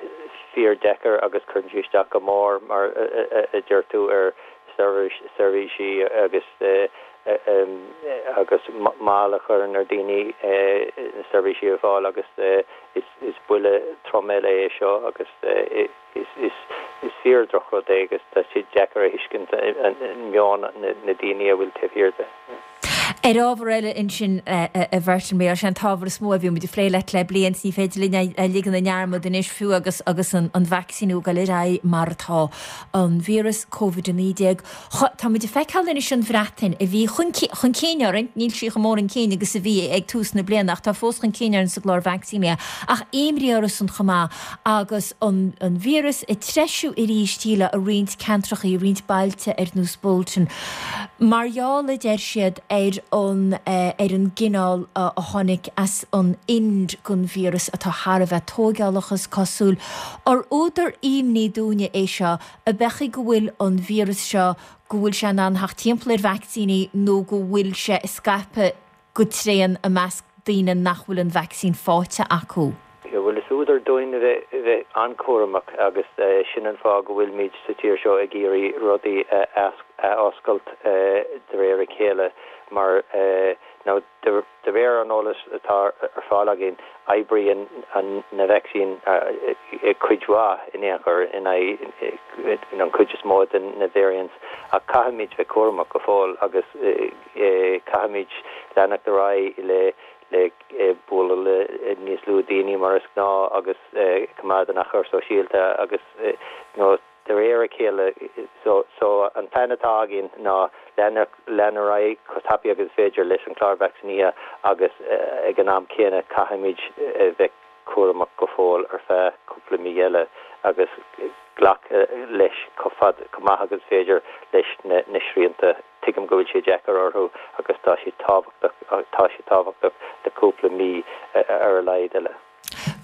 fíor deacair agus cuireann sé isteach go mór mar a deir tú ar seirbhísí agus agus moill a chuireann ar daoine na seirbhísí a fháil agus is buille trom eile é seo agus is is fíor drochrud é agus tá sé deacair a thuiscint an meon na daoine a bhfuil taobh thiar de. Ar ábhar eile ansin a Mhartin, mar sé an t-ábhar is mó a bhí muid ag plé leat le bliain, ní féidir linn a ligean i ndearmad anois fiú agus agus an an vacsaíniú ag dul ar aghaidh mar atá an víreas Covid a naoi déag. Tá muid ag feiceáil anois an Bhreatain a bhí chun chun cinn orainn, níl sí chomh mór chun cinn agus a bhí ag tús na bliana ach tá fós chun cinn orainn sa gclár vacsaínithe ach imní orthusan chomh maith agus an an víreas ag treisiú arís i roinnt ceantracha i roinnt bailte ar nós Bolton. Mar gheall a deir siad ar an ar an gcineál a tháinig as an Ind den víreas atá thar a bheith tóigeálach is cosúil. Ar údar imní dúinne é seo a bheadh go bhfuil an víreas seo go bhfuil sé in ann theacht timpeall ar vacsaíní nó go bhfuil sé ag scaipeadh go tréan i measc daoine nach bhfuil an vacsaín faighte acu. Bhuel is údar dúinn a bheith bheith an-chúramach agus sin an fáth go bhfuilimid sa tír seo ag iarraidh rudaí a oscailt de réir a chéile mar nó de réir an eolas atá ar fáil againn oibríonn na vacsaín cuid mhaith in aon chor in aghaidh an chuid is mó de na variants ach caithfimid bheith cúramach go fóill agus caithfimid leanacht ar aghaidh le le bualadh le níos lú daoine mar is gnáth agus coimeád an achar sóisialta agus nó de réir a chéile so so an plean atá againn ná lean lean ar aghaidh chomh tapaidh agus is féidir leis an chlár vacsaínithe agus ag an am céanna caithfimid bheith cúramach go fóill ar feadh cúpla mí eile agus glacadh leis chomh fad chomh maith agus féidir leis na na srianta tuigim go bhfuil sé deacair orthu agus tá sé tábhachtach tá sé tábhachtach le cúpla mí ar a laghad eile.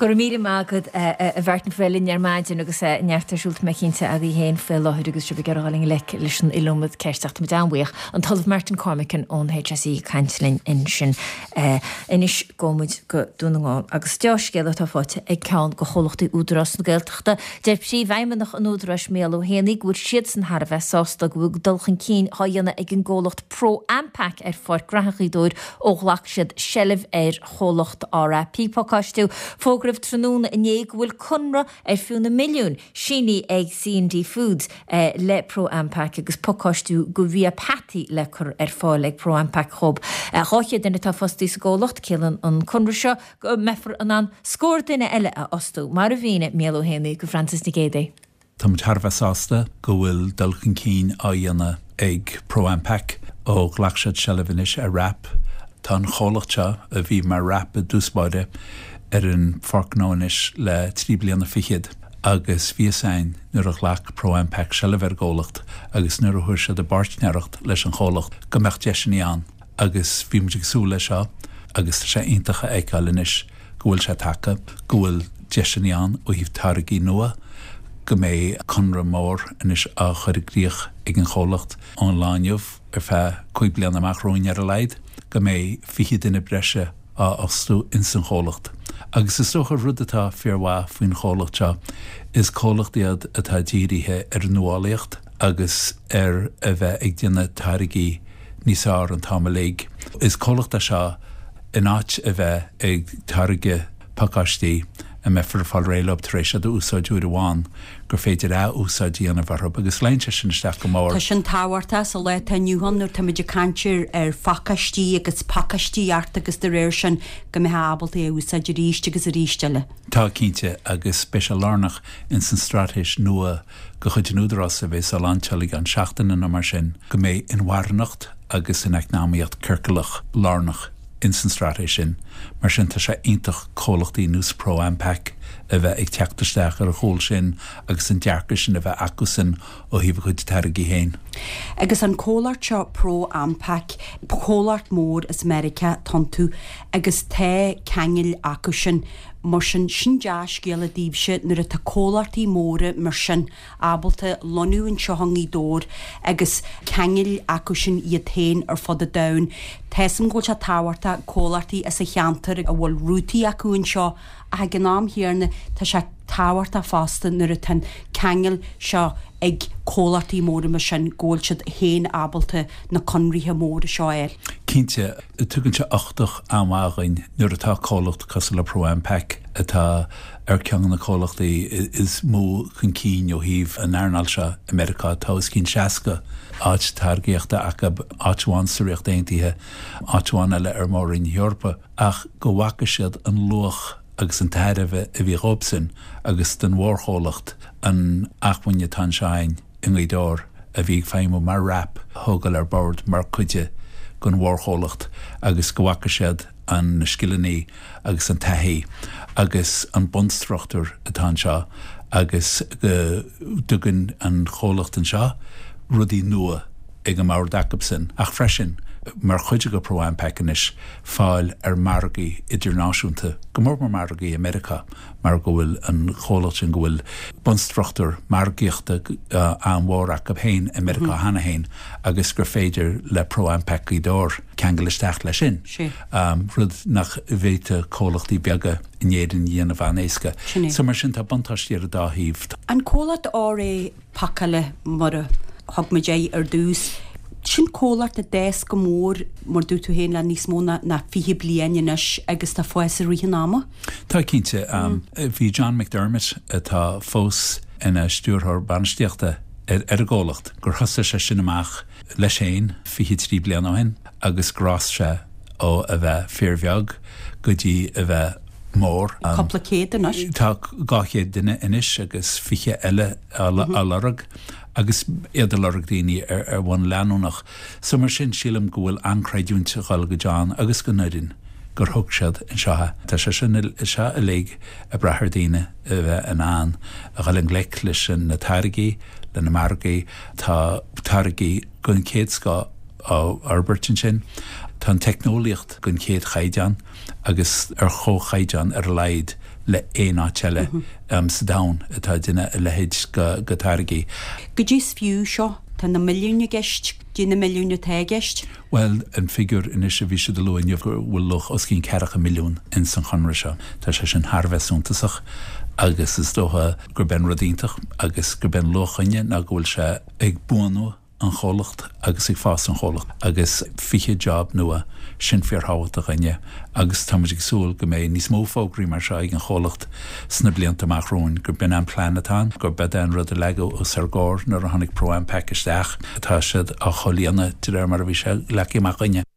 Go raibh míle maith agat a Mhartin faoi linn ar maidin agus neart ar siúl mé cinnte agaibh féin faoi láthair agus sibh ag iarraidh dul i ngleic leis an iliomad ceist ach táimid an-bhuíoch an tOllamh Martin Cormican ón HSE ag caint linn ansin. Anois gabhfaidh muid go Dún na nGall agus dea-scéal atá faighte ag ceann de chomhlachtaí Údarás na Gaeltachta. Deir Príomhfheidhmeannach an Údaráis Mícheál Ó hÉanaí go bhfuil siadsan thar a bheith sásta go bhfuil dul chun cinn á dhéanamh ag an gcomhlacht Pro Ampac ar Pháirc Ghraithe Ghaoth Dobhair ó ghlac siad seilbh ar chomhlacht RAP Pacáistiú. Fógraíodh tráthnóna inné go bhfuil conradh ar fiú na milliúin sínithe ag C and D Foods le Pro Ampac agus pacáistiú do bhia peataí le cur ar fáil ag Pro Ampac dhóibh. Dhá chéad duine atá fostaí sa gcomhlacht, ciallaíonn an conradh seo go mbeifear in ann scór duine eile a fhostú, mar a mhínigh Mícheál Ó hÉanaí do Francis Nic Géadaigh. Tá muid thar a bheith sásta go bhfuil dul chun cinn á dhéanamh ag Pro Ampac ó ghlac siad seilbh anois ar WRAP. Tá an chomhlacht seo a bhí mar WRAP i dtús báire ar an Pháirc Ghnó anois le trí bliana fichead agus bhí fhios againn nuair a ghlac Pro Ampac seilbh ar an gcomhlacht agus nuair a fuair siad a bpáirtnéireacht leis an chomhlacht go mbeadh deiseanna ann agus bhí muid ag súil leis seo agus tá sé iontach a fheiceáil anois go bhfuil sé tagtha, go bhfuil deiseanna ann ó thaobh táirgí nua, go mbeidh conradh mór anois á chur i gcrích ag an chomhlacht ón lá inniu ar feadh cúig bliana amach romhainn ar a laghad, go mbeidh fiche duine breise á fhostú ins an chomhlacht. Agus is dócha rud atá fíormhaith faoin chomhlacht seo, is comhlacht iad atá dírithe ar an nuálaíocht agus ar a bheith ag déanamh táirgí níos fearr an t-am uilig. Is comhlacht é seo in áit a bheith ag táirgeadh pacáistí a mbeifear ag fáil réidh leo tar éis iad a úsáid uair amháin, gur féidir ath-úsáid a dhéanamh orthu agus luíonn sé sin isteach go mór. Tá sin tábhachtach sa lá atá inniu ann nuair táimid ag caint ar ar phacáistí agus pacáistíocht agus de réir sin go mbeifeá ábalta é a úsáid arís agus arís eile. Tá, cinnte, agus beidh sé lárnach ins an straitéis nua de chuid an Údaráis a bheas á lainseáil i gceann seachtaine nó mar sin, go mbeidh inmharthanacht agus an eacnamaíocht ciorclach lárnach ins an straitéis sin. Mar sin tá sé iontach comhlachtaí nós Pro Ampac a bheith ag teacht isteach ar a chúl sin agus an dearcadh sin a bheith acusan ó thaobh a gcuid táirgí féin. Agus an comhlacht seo ProAmpac, comhlacht mór as Meiriceá atá iontu agus tá ceangail acu sin. Mar sin, sin dea-scéala daoibhse nuair atá comhlachtaí móra mar sin ábalta lonnú anseo i nGaoth Dobhair agus ceangail acu sin iad féin ar fud an domhain. Tá 'fhios a'm go bhfuil sé tábhachtach comhlachtaí as an cheantar a bhfuil rútaí acu anseo ach ag an am chéanna tá sé tábhachtach fosta nuair atá an ceangal seo ag comhlachtaí móra mar sin go bhfuil siad féin ábalta na conraithe móra seo a fháil. Cinnte, tugann sé uchtach an-mhaith dhuinn nuair atá comhlacht cosúil le ProAmpac atá ar ceann de na comhlachtaí is mó chun cinn ó thaobh an earnáil seo i Meiriceá. Tá os cionn seasca áit táirgíochta acu, áit amháin sa Ríocht Aontaithe, áit amháin eile ar Mhór-Roinn na hEorpa, ach go bhfaca siad an luach agus an tairbhe a bhí dhóibhsan agus don mhórchomhlacht an acmhainn atá anseo againn i nGaoth Dobhair a bhí ag feidhmiú mar WRAP a thógáil ar bord mar chuid den mhórchomhlacht agus go bhfaca siad an na scileanna agus an taithí agus an bunstruchtúr atá anseo agus go dtugann an chomhlacht anseo rudaí nua ag an mbord acubsan ach freisin mar chuid de ProAmpac anois fáil ar margaí idirnáisiúnta, go mór mór margaí i Meiriceá mar go bhfuil an chomhlacht sin go bhfuil bunstruchtúr margaíochta an-mhór acu féin i Meiriceá cheana féin agus gur féidir le ProAmpac Gaoth Dobhair ceangal isteach leis sin, rud nach bhféadfadh comhlachtaí beaga in Éirinn a dhéanamh an-éasca. So mar sin tá buntáistí ar an dá thaobh. An comhlacht R A Pacála mar a thug muid é ar dtús. Sin comhlacht a d'fhás go mór, mar dúirt tú féin, le níos mó ná fiche bliain anois agus tá fás i rith an ama. Tá cinnte. Bhí John McDermott, atá fós ina stiúrthóir bainistíochta ar an gcomhlacht, gur thosaigh sé sin amach leis féin fiche trí bliana ó shin agus gur fhás sé ó a bheith fíorbheag go dtí a bheith mór. Cúpla céad anois. Tá dhá chéad duine anois agus fiche eile á lorg agus iad ag lorg daoine ar ar bhonn leanúnach. So mar sin sílim go bhfuil an-chreidiúint ag dul go John agus don fhoireann gur thug siad anseo é. Tá sé sin seo uilig ag brath ar daoine a bheith in ann a dhul i ngleic leis na táirgí, le na margaí, tá táirgí den chéad scoth á fhorbairt ansin. Tá an teicneolaíocht den chéad chaighdeán agus ar chomhchaighdeán ar a laghad le aon áit eile sa domhan atá ag déanamh a leithéid de tháirgí. Goidé is fiú seo, tá na milliúin i gceist, goidé na milliúin atá i gceist? Bhuel, an figiúr anois a bhí siad a lua inniu go bhfuil luach os cionn ceathracha milliún ins an chonradh seo. Tá sé sin thar a bheith suntasach agus is dócha gurb é an rud iontach agus gurb é an luach againne ná go bhfuil sé ag buanú an chomhlacht agus ag fás an chomhlacht agus fiche job nua, sin fíorthábhachtach againne agus táimid ag súil go mbeidh níos mó fógraí mar seo ag an chomhlacht sna blianta amach romhainn, gurb in an plean atá ann, gurb é an rud a leagadh os ár gcomhair nuair a tháinig ProAmpac isteach, tá siad á chomhlíonadh de réir mar a bhí sé leagtha amach againne.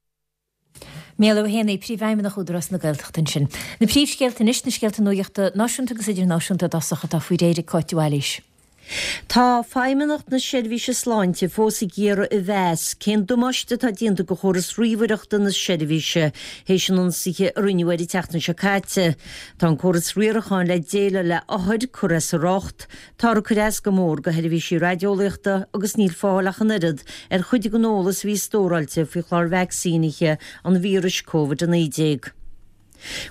Mícheál Ó hÉanaí, Príomhfheidhmeannach Údarás na Gaeltachta ansin. Na príomhscéalta anois, na scéalta nuachta náisiúnta agus idirnáisiúnta i dtosach atá faoi réir ag Cáit Bhailís. Tá Feidhmeannacht na Seirbhíse Sláinte fós ag iarraidh a mheas cén damáiste atá déanta do chóras ríomhaireachta na seirbhíse théis an ionsaithe a rinneadh air an tseachtain seo caite. Tá an córas riaracháin le déileáil le othair curtha as a riocht, Táthar ag cur as go mór do sheirbhísí raideolaíochta agus níl fáil ach an oiread ar chuid den eolas a bhí stóráilte faoi chlár vacsaínithe an víris Covid a naoi déag.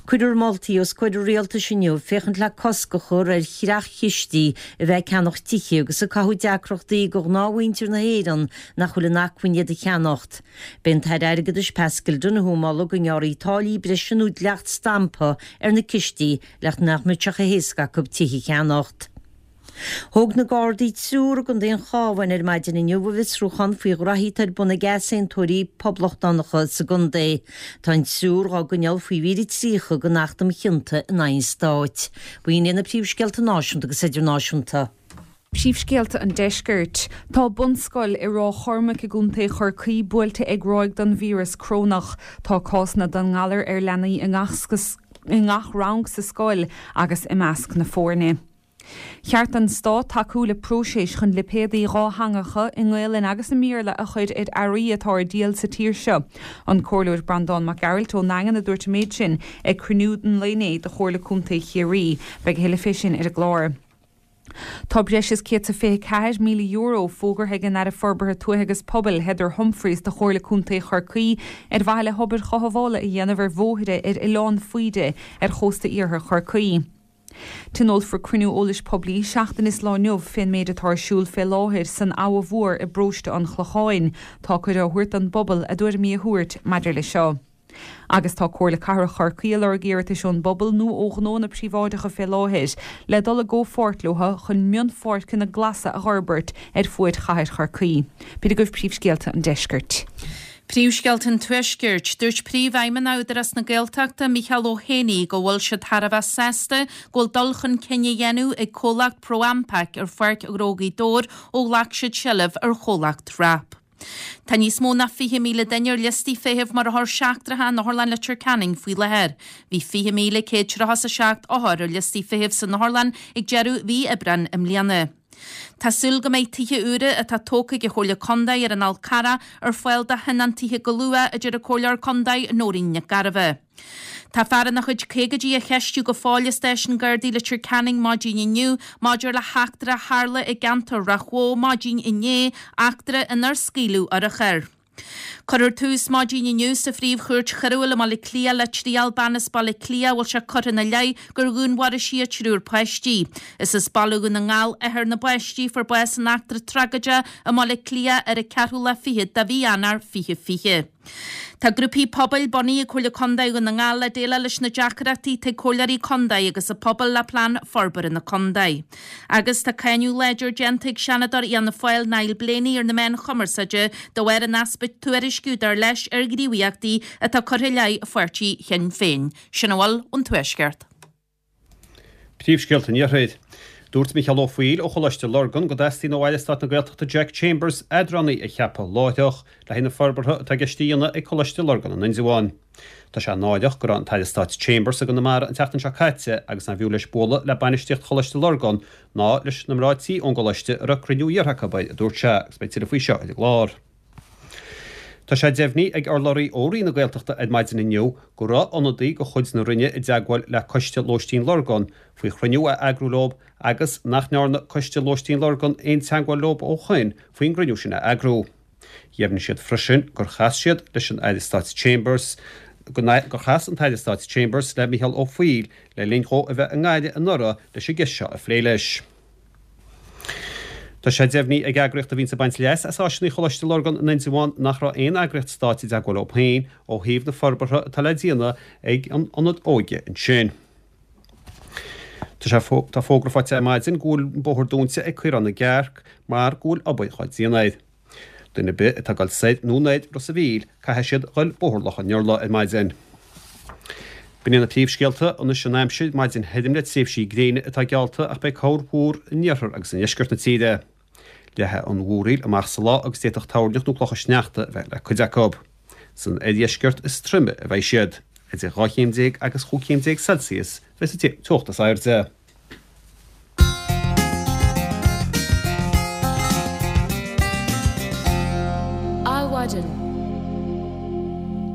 Cuirfear moltaí os comhair an rialtais inniu féachaint le cosc a chur ar chreach-chistí a bheith ag ceannach tithe agus ag cothú deacrachtaí do ghnáthmhuintir na hÉireann nach bhfuil in acmhainn iad a cheannacht. B'é an tAire Airgeadais Paschal Donohoe a mholadh go ngearrfaí táillí breise nó dleacht stampa ar na cistí le nach mbeadh sé chomh héasca acu tithe a cheannacht. Thóg na Gardaí triúr i gContae an Chabháin ar maidin inniu i bhfiosrúchán faoi ghraithí atá ar bun ag easaontóirí poblachtánacha sa gcontae. Tá an triúr dhá gcoinneáil faoi mhír a tríocha den Acht um Chionta in aghaidh an Stáit. B'in iad na príomhscéalta náisiúnta agus idirnáisiúnta. Príomhscéalta an Deiscirt. Tá bunscoil i Ráth Chormaic i gContae Chorcaí buailte ag ráig den víreas corónach. Tá cásanna den ngalar ar leanaí i ngach i ngach rang sa scoil agus i measc na foirne. Cheart don Stát tacú le próiseas chun lipéadaí dhátheangacha i nGaelainn agus i mBéarla a chur ar earraí atá ar díol sa tír seo. An Comhairleoir Breandán Mac Gearailt ón nDaingean a dúirt an méid sin ag cruinniú an lae inné de Chomhairle Contae Chiarraí. Beidh a thuilleadh fé sin ar an gclár. Tá breis is céad is fiche ceathair míle euro fógartha ag an Aire Forbartha Tuaithe agus Pobail, Heather Humphreys do Chomhairle Contae Chorcaí ar mhaithe le hobair chothabhála a dhéanamh ar bhóithre ar Oileán Faoide ar chósta iarthar Chorcaí. Tionólfar cruinniú eolais poiblí seachtain is lá inniu fén méid atá ar siúl fé láthair san Abha Mhór i bparóiste an Chlocháin. Tá cuireadh á thabhairt don bpobal a dtuairimí a thabhairt maidir leis seo. Agus tá Comhairle Cathrach Chorcaí ag lorg iarratais ón bpobal nó ó ghnóanna príobháideacha fé láthair le dul i gcomhpháirt leo chun mionpháirceanna glasa a dh'fhorbairt ar fuaid chathair Chorcaí. B'in agaibh príomhscéalta an deiscirt. Príomhscéalta an Tuaiscirt, Dúirt Príomhfheidhmeannach Údarás na Gaeltachta, Micheál Ó hÉanaí, go bhfuil siad thar a bheith sásta go bhfuil dul chun cinn á dhéanamh ag comhlacht ProAmpac ar Pháirc Ghnó Ghaoth Dobhair ó ghlac siad seilbh ar chomhlacht wrap. Tá níos mó ná fiche míle duine ar liostaí feithimh mar othair seachtracha in Otharlann Leitir Ceanainn faoi láthair. Bhí fiche míle céad tríocha is a seacht othar ar liostaí feithimh san otharlann ag deireadh mhí Aibreáin i mbliana. Tá súil go mbeidh tithe úra atá tógtha ag an Chomhairle Contae ar an Fhál Carrach ar fáil do thionóntaithe go luath, a deir an Comhairleoir Contae Nóirín Nic Gairbheith. Tá fear ina chuid caogaidí á cheistiú go fóill i Stáisiún Gardaí Leitir Ceanainn maidin inniu maidir le heachtra a tharla i gceantar Ráth Bhoth maidin inné, eachtra inar scaoileadh urchar. Cuirfear tús maidin inniu sa Phríomh-Chúirt Choiriúil i mBaile Átha Cliath le triail bean as Baile Átha Cliath a bhfuil sé curtha ina leith gur dhúnmharaigh sí a triúr páistí. Is as Baile Dhún na nGall athair na bpáistí a fuair bás san eachtra tragóideach i mBaile Átha Cliath ar an ceathrú lá fichead de mhí Eanáir fiche fiche. Tá grúpaí pobail bunaithe ag Comhairle Contae Dhún na nGall le déileáil leis na deacrachtaí atá ag comhairleoirí contae agus an pobal le plean forbartha na contae. Agus tá cáineadh láidir déanta ag Seanadóir Fhianna Fáil Niall Blaney ar na meáin chumarsáide de bharr an easpa tuairisciú dar leis ar ghníomhaíochtaí atá curtha i leith pháirtí Shinn Féin. Sin a bhfuil ón Tuaisceart. Príomhscéalta an Iarthair. Dúirt Micheál Ó Foighil ó Choláiste Lurgan go dteastaíonn ó Aire Stáit na Gaeltachta Jack Chambers eadránaí a cheapadh láithreach le haghaidh na forbartha atá i gceist a dhéanamh ag Coláiste Lurgan in Indreabhán. Tá sé náireach go raibh an tAire Stáit Chambers i gConamara an tseachtain seo caite agus nárbh fhiú leis bualadh le bainistíocht Choláiste Lurgan ná leis na mná tí ón gcoláiste a raibh cruinniú iarrtha acu air, a dúirt sé, agus beidh tuilleadh faoi seo ar an gclár. Tá sé deimhnithe ag urlabhraí ó Roinn na Gaeltachta ar maidin inniu go raibh ionadaí de chuid na Roinne i dteagmháil le Coiste Lóistín Lurgan faoi chruinniú a eagrú leo agus nach ndearna Coiste Lóistín Lurgan aon teagmháil leo ó shoin faoin gcruinniú sin a eagrú. Dheimhnigh siad freisin gur chas siad leis an Aire Stáit Chambers gur chas an tAire Stáit Chambers le Micheál Ó Foighil le linn dhó a bheith i nGaillimh anuraidh leis an gceist seo a phlé leis. Tá sé deimhnithe ag eagraíocht a bhíonns ag baint leas as áiseanna Choláiste Lurgan in Indreabhán nach raibh aon eagraíocht stáit i dteagmháil leo féin ó thaobh na forbartha atá le déanamh ag an ionad óige ansin. Tá sé tá fógra faighte ar maidin go bhfuil an bóthar dúnta ag Caorán na gCearc mar go bhfuil obair dhá déanamh air. Duine ar bith atá ag dul soir nó anoir Ros a' Mhíl, caithfidh siad dhul Bóthar Loch an Iorla ar maidin. B'in iad na príomhscéalta, anois an aimsir, maidin thirim le tréimhsí gréine atá geallta ach beidh corrmhúr in iarthar agus i ndeisceart na tíre. Leathfaidh an mhúraíl amach sa lá agus d'fhéadfadh toirneach nó clocha sneachta a bheith le cuid acu. San oirdheisceart is troime a bheidh siad. Idir dhá chéim déag agus chúig chéim déag Celsius a bheidh sa teocht is airde. Adhmhaidin.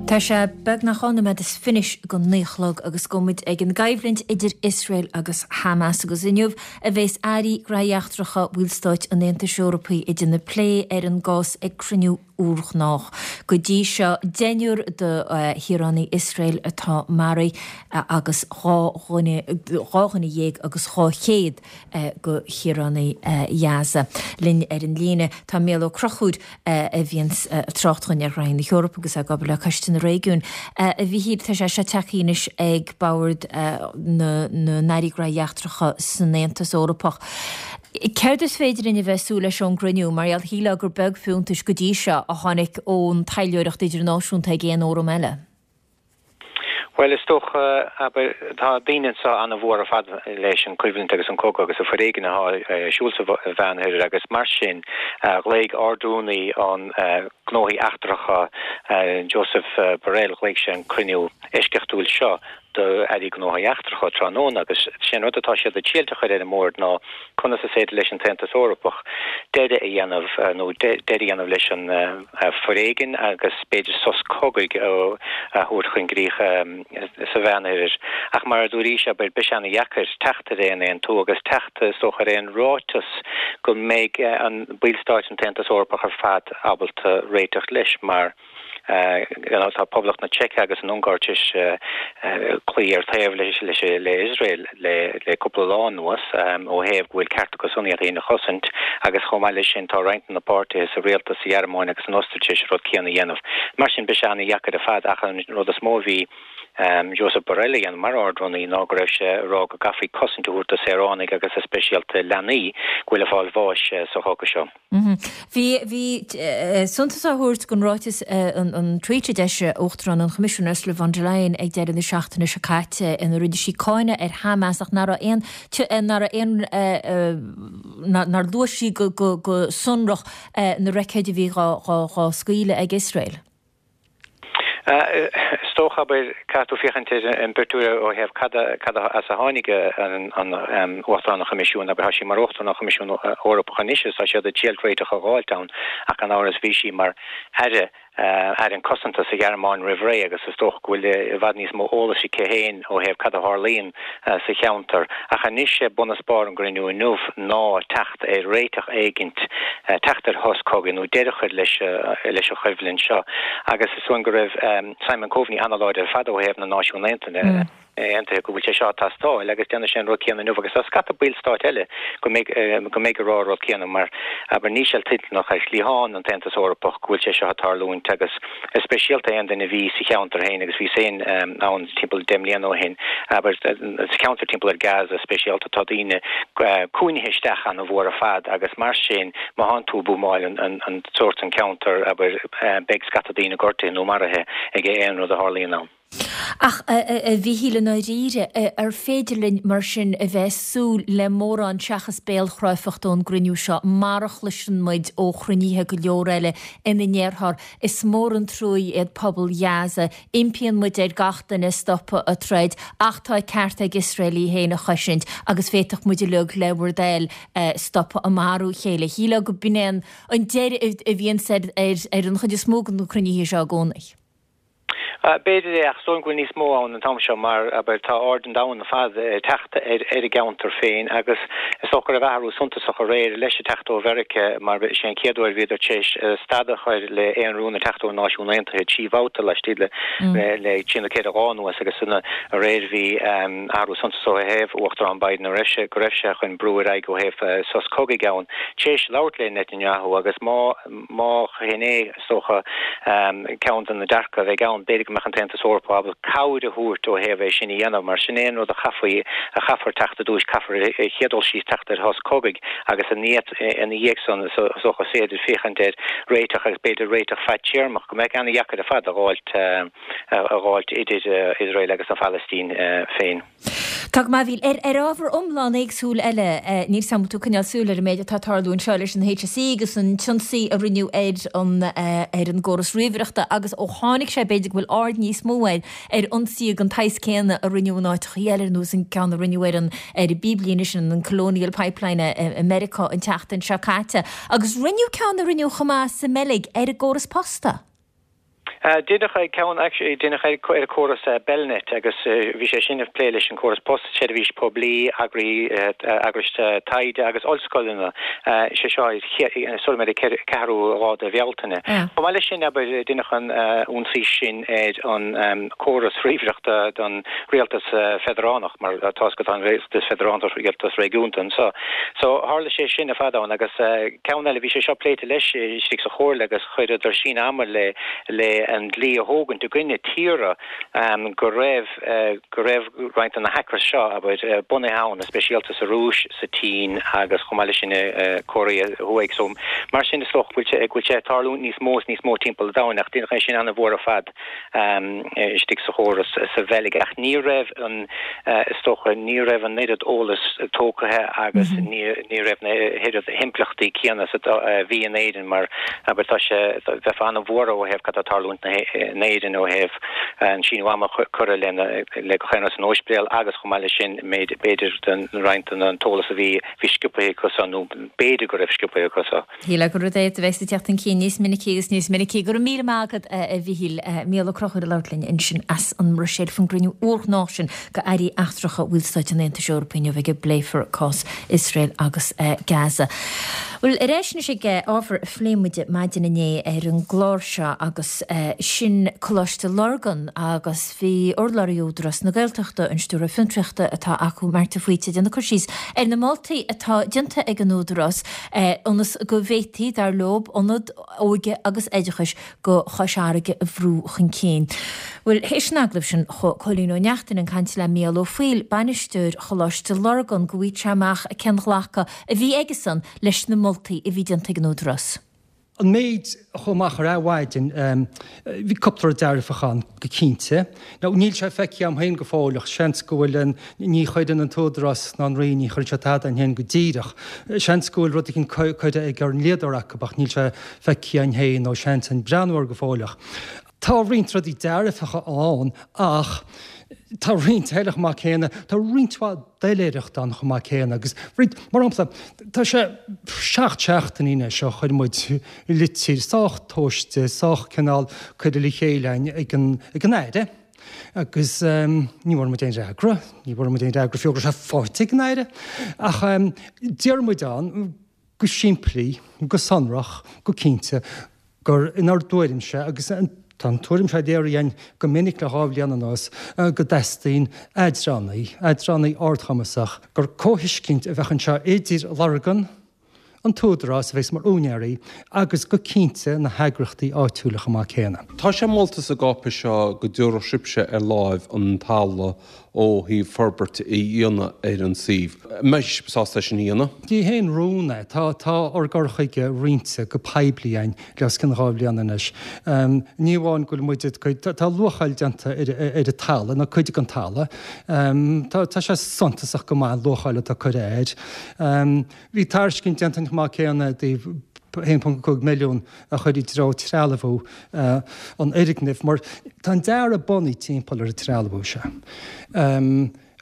Tá sé beagnach dhá nóiméad is fiche go naoi a chlog agus gabhfaidh muid ag an gcoimhlint idir Iosrael agus Hamas agus inniu a bheas airí gnóthaí eachtracha bhallstáit an Aontais Eorpaigh ag déanamh plé ar an gcás ag cruinniú úrghnách. Go dtí seo deichniúr de shaoránaigh Iosrael atá maraithe agus dhá dhuine dhá dhuine dhéag agus dhá chéad de shaoránaigh Ghaza. Linn ar an líne tá Mícheál Ó Conchúir a bhíonn ag trácht dhúinn ar ghnaithí na hEorpa agus ag obair le Coiste na Réigiún. A Mhíchíl, tá sé seo tagtha anois ag bord na n-airí gnóthaí eachtracha san Aontas Eorpach. Céard is féidir linn a bheith ag súil leis ón gcruinniú? Mar gheall, shílfeá gur beag fiúntais go dtí seo a tháinig ón taidhleoireacht idirnáisiúnta ag aon fhóram eile. Bhuel, is dócha, abair, tá daoine anseo an-mhór ar fad leis an choimhlint agus an cogadh agus an foréigean atá ar siúl sa Mheánoirthear agus mar sin ghlaoigh Ard-Rúnaí an Gnóthaí Eachtracha, Josep Borrell, ghlaoigh sé an cruinniú eisceachtúil seo d'Airí Gnóthaí Eachtracha tráthnóna agus sé an rud atá siad ag triail a chur ar an mbord ná conas is féidir leis an tAontas Eorpach deireadh a dhéanamh nó deireadh a dhéanamh leis an foréigean agus b'fhéidir sos cogaidh a thabhairt chun críche sa Mheánoirthear. Ach mar a dúraís, abair, beidh sé ana-dheacair teacht ar aon aontú agus teacht is dócha ar aon ráiteas go mbeidh an ballstáit an tAontas Eorpach ar fad ábalta réiteach leis mar tá Poblacht na Seice agus an Ungáir tar éis cloí ar taobh leis le Iosrael le cúpla lá anuas ó thaobh go bhfuil ceart acu san iad féin a chosaint agus chomh maith leis sin tá roinnt de na páirtithe sa rialtas sa Ghearmáin agus san Ostair tar éis an rud céanna a dhéanamh. Mar sin beidh sé ana-dheacair ar fad ach an rud is mó a bhí Josep Borrell a dhéanamh mar Ard-Rúnaí ná go raibh sé ag rá go gcaithfí cosaint a thabhairt do saoránaigh agus is speisialta leanaí go bhfuil ag fáil bháis sa chogadh seo. Bhí bhí suntas á thabhairt don ráiteas an an tweet a d'eisigh Uachtarán an Choimisiúin Ursula von der Leyen ag deireadh na seachtaine seo caite ina rinne sí cáineadh ar Hamas ach nach raibh aon nach raibh aon nár luaigh sí go go go sonrach na roicéid a bhí dhá dhá dhá scaoileadh ag Iosrael. Is dócha, abair, caithfidh tú féachaint ar an bpictiúr ó thaobh cad cad as a tháinig an Uachtarán an Choimisiúin, abair, tá sí mar Uachtarán an Choimisiúin Eorpach anois agus tá siad ag triail réiteach a dh'fháilt ann ach gan amhras bhí sí mar Aire Aire an Cosanta sa Ghearmáin roimh ré agus is dócha go bhfuil i bhfad níos mó eolais aici féin ó thaobh cad a tharlaíonn sa cheantar. Ach anois sé bun is barr an gcruinniú inniu ná teacht ar réiteach éigint, teacht ar shos cogaidh nó deireadh a chur leis leis an choimhlint seo. Agus is dóigh go raibh Simon Coveney an-láidir ar fad ó thaobh na Náisiún Aontaithe. Aontaithe go bhfuil sé seo ag teastáil agus déanfaidh sé an rud céanna inniu agus tá scata ballstáit eile go mbeidh go mbeidh ag rá an rud céanna mar abair níl sé toilteanach ar chliathán an tAontas Eorpach go bhfuil sé seo ag tarlúint agus is speisialta aon duine a bhí sa cheantar féin agus bhíos féin ann timpeall deich mbliana ó shin abair sa cheantar timpeall ar Gaza speisialta tá daoine cúinnithe isteach ana-mhór ar fad agus mar sin má thánn tú ag buamáil an an sórt an ceantar abair beidh scata daoine gortaithe nó maraithe ag aon rud a tharlaíonn ann. Ach, a Mhíchíl, i ndáiríre, ar féidir linn mar sin a bheith ag súil le mórán seachas béalchráifeacht ón gcruinniú seo, mar a chloiseann muid ó chruinnithe go leor eile ina ndéarfar 'is mór an truaí iad pobal Ghaza, impíonn muid ar gach duine stopadh ag troid, ach tá ceart ag Iosrael í féin a chosaint agus féadfaidh muid uilig le bhur dtoil stopadh ag marú a chéile'. Shílfeá go b'in é an deireadh a bhíonns ar an chuid is mó de na cruinnithe seo i gcónaí. B'fhéidir é, ach is dóigh go bhfuil níos mó ann an t-am seo mar, abair, tá aird an domhain ar fad ag teacht ar an gceantar féin agus is dócha go raibh athrú suntasach aréir leis ag teacht ó Mheiriceá mar is é an chéad uair bhíodar tar éis stad a chur le aon rún ag teacht ó Náisiún Aontaithe trí bhabhta laistigh le le trí nó ceithre lá anuas agus aréir bhí athrú suntasach ó thaobh Uachtarán Biden a raibh sé go raibh sé chun brú ar aghaidh ó thaobh sos cogaidh ann tar éis labhairt le Netanyahu agus má má shin é Is dócha, ceann de na dearcadh a bheidh ann, b'fhéidir go mbeadh an tAontas Eorpach ábalta cabhair a thabhairt ó thaobh é sin a dhéanamh, mar sin é an rud a chaithfí, a chaithfear teacht i dtús, caithfear ar chéad dul síos teacht ar shos cogaidh agus ina dhiaidh san, is dócha, is féidir féachaint ar réiteach agus b'fhéidir réiteach fadtéarmach, go mbeadh ana-dheacair ar fad a dh'fháilt, a dh'fháilt idir Iosrael agus an Phalaistín féin. Tá go maith, a Mhíchíl. Ar ábhar iomlán éagsúil eile, níl 's agam an bhfuil tú ag coinneáil súil ar an méid atá ag tarlú anseo leis an H S E agus an t-ionsaí a rinneadh ar an ar an gcóras ríomhaireachta agus ó tháinig sé b'fhéidir go bhfuil aird níos mó air ar ionsaithe den tsaghas céanna a rinneadh in áiteachaí eile ar nós an ceann a rinneadh ar an ar an bpíblíne sin an Colonial Pipeline i Meiriceá an tseachtain seo caite agus rinneadh ceann a rinneadh chomh maith sa mBeilg ar an gcóras posta. Deineadh ceann actually deineadh ar an córas Belnet agus bhí sé sin ag plé leis an córas post, seirbhís poiblí, eagraí eagrais taighde agus ollscoileanna. Sé seo sula mbeidh an ceathrú lá de Bhealtaine. Chomh maith leis sin abair deineadh an ionsaí sin ar an córas ríomhaireachta don rialtas feidearánach mar tá 's agat tá an rialtas feidearánach rialtas réigiúnta anseo. So tharla sé sin ar fad ann agus ceann eile bhí sé seo pléite leis istigh sa chomhairle agus chuireadar síneadh ama le le an dlí a thógaint i gcoinne tíortha go raibh go raibh roinnt de na hackers seo, abair, bunaithe ann, speisialta sa Rúis, sa tSín agus chomh maith leis sin i Cóiréa Thuaidh. So mar sin is dócha go bhfuil sé go bhfuil sé ag tarlúint níos mó is níos mó timpeall an domhain ach deineadh é sin ana-mhór ar fad istigh sa chóras sa Bheilg ach ní raibh an is dócha ní raibh an oiread eolas tógtha agus ní ní raibh na hoiread himpleachtaí céanna is a bhí in Éirinn mar abair tá sé bheifeá ana-bhuartha ó thaobh cad tá ag tarlúint Parlaimint na hÉireann ó thaobh an síneadh ama a cuireadh lena le gach aon rud san ospidéal agus chomh maith leis sin b'fhéidir den roinnt den an t-eolas a bhí bhí sciobtha acu so nó b'fhéidir go raibh sciobtha acu so. Shílfeá gur rud é a bheas ag teacht chun cinn níos minicí agus níos minicí. Go raibh míle maith agat a Mhichíl. Mícheál Ó Conchúir ag labhairt linn ansin as an mBruiséil faoin gcruinniú urghnách sin de airí eachtracha Bhallstáit an Aontais Eorpaigh inniu ag a bpléifear cás Iosrael agus Gaza. Bhuel, ar ais anois ag ábhar a phléigh muid maidin inné ar an gclár seo agus sin Coláiste Lurgan agus bhí urlabhraí Údarás na Gaeltachta, an Stiúrthóir Fiontraíochta atá acu, Marta Faoite, ag déanamh cur síos ar na moltaí atá déanta ag an Údarás ionas go bhféadfaí, dar leo, ionad óige agus oideachais go Chois Fharraige a bhrú chun cinn. Bhuel, théis an agallaimh sin, chuaigh Cóilín Ó Neachtain ag caint le Mícheál Ó Foighil, bainisteoir Choláiste Lurgan, go bhfaighfeadh sé amach cén ghlacadh a bhí aigesan leis na moltaí a bhí déanta ag an Údarás. An méid a chuaigh amach ar Adhmhaidin, bhí cúpla rud dearfach ann, go cinnte. Now, níl sé feicthe agam féin go fóill ach seans go bhfuil an, ní chuireann an tÚdarás ná an Roinn, ní chuireann siad tada againn féin go díreach. Seans go bhfuil rud éicint curtha ag ár ndlíodóir acu ach níl sé feicthe againn féin nó seans againn breathnú air go fóill ach tá roinnt rudaí dearfacha ann ach tá roinnt eile chomh maith céanna, tá roinnt mhaith doiléireachta ann chomh maith céanna agus roinnt, mar shampla, tá sé seacht seachtainí anois ó chuir muid litir sách tomhaiste, sách cineál curtha le chéile againn ag an, ag an Aire agus ní bhfuair muid aon fhreagra, ní bhfuair muid aon fhreagra fiú go raibh sé faighte ag an Aire ach deir muid ann go simplí, go sonrach, go cinnte gur inár dtuairimse, agus tá an tuairim seo léirithe againn go minic le dhá bhliain anuas, go dteastaíonn eadránaí, eadránaí ardchumasach, gur comhthuiscint a bheadh anseo idir Lurgan, an tÚdarás a bheas mar úinéirí, agus go cinnte na heagraíochtaí áitiúla chomh maith céanna. Tá sé molta sa gcáipéis seo go dtabharfadh sibhse ar láimh an talamh ó thaobh forbairt a dhéanamh ar an suíomh. An mbeidh sibh sásta é sin a dhéanamh? Ní haon rún é. Tá tá ár gcur chuige roinnte go poiblí againn le os cionn dhá bhliain anois. Ní amháin go bhfuil muid ag tá luacháil déanta ar ar an talamh, nó cuid den talamh. Tá tá sé suntasach go maith an luacháil atá curtha air. Bhí tairiscint déanta chomh maith céanna i dtaobh a haon ponc cúig milliún a chur i dtreo trealmhú an fhoirgnimh mar tá an dearadh bunaithe timpeall ar an trealmhú seo.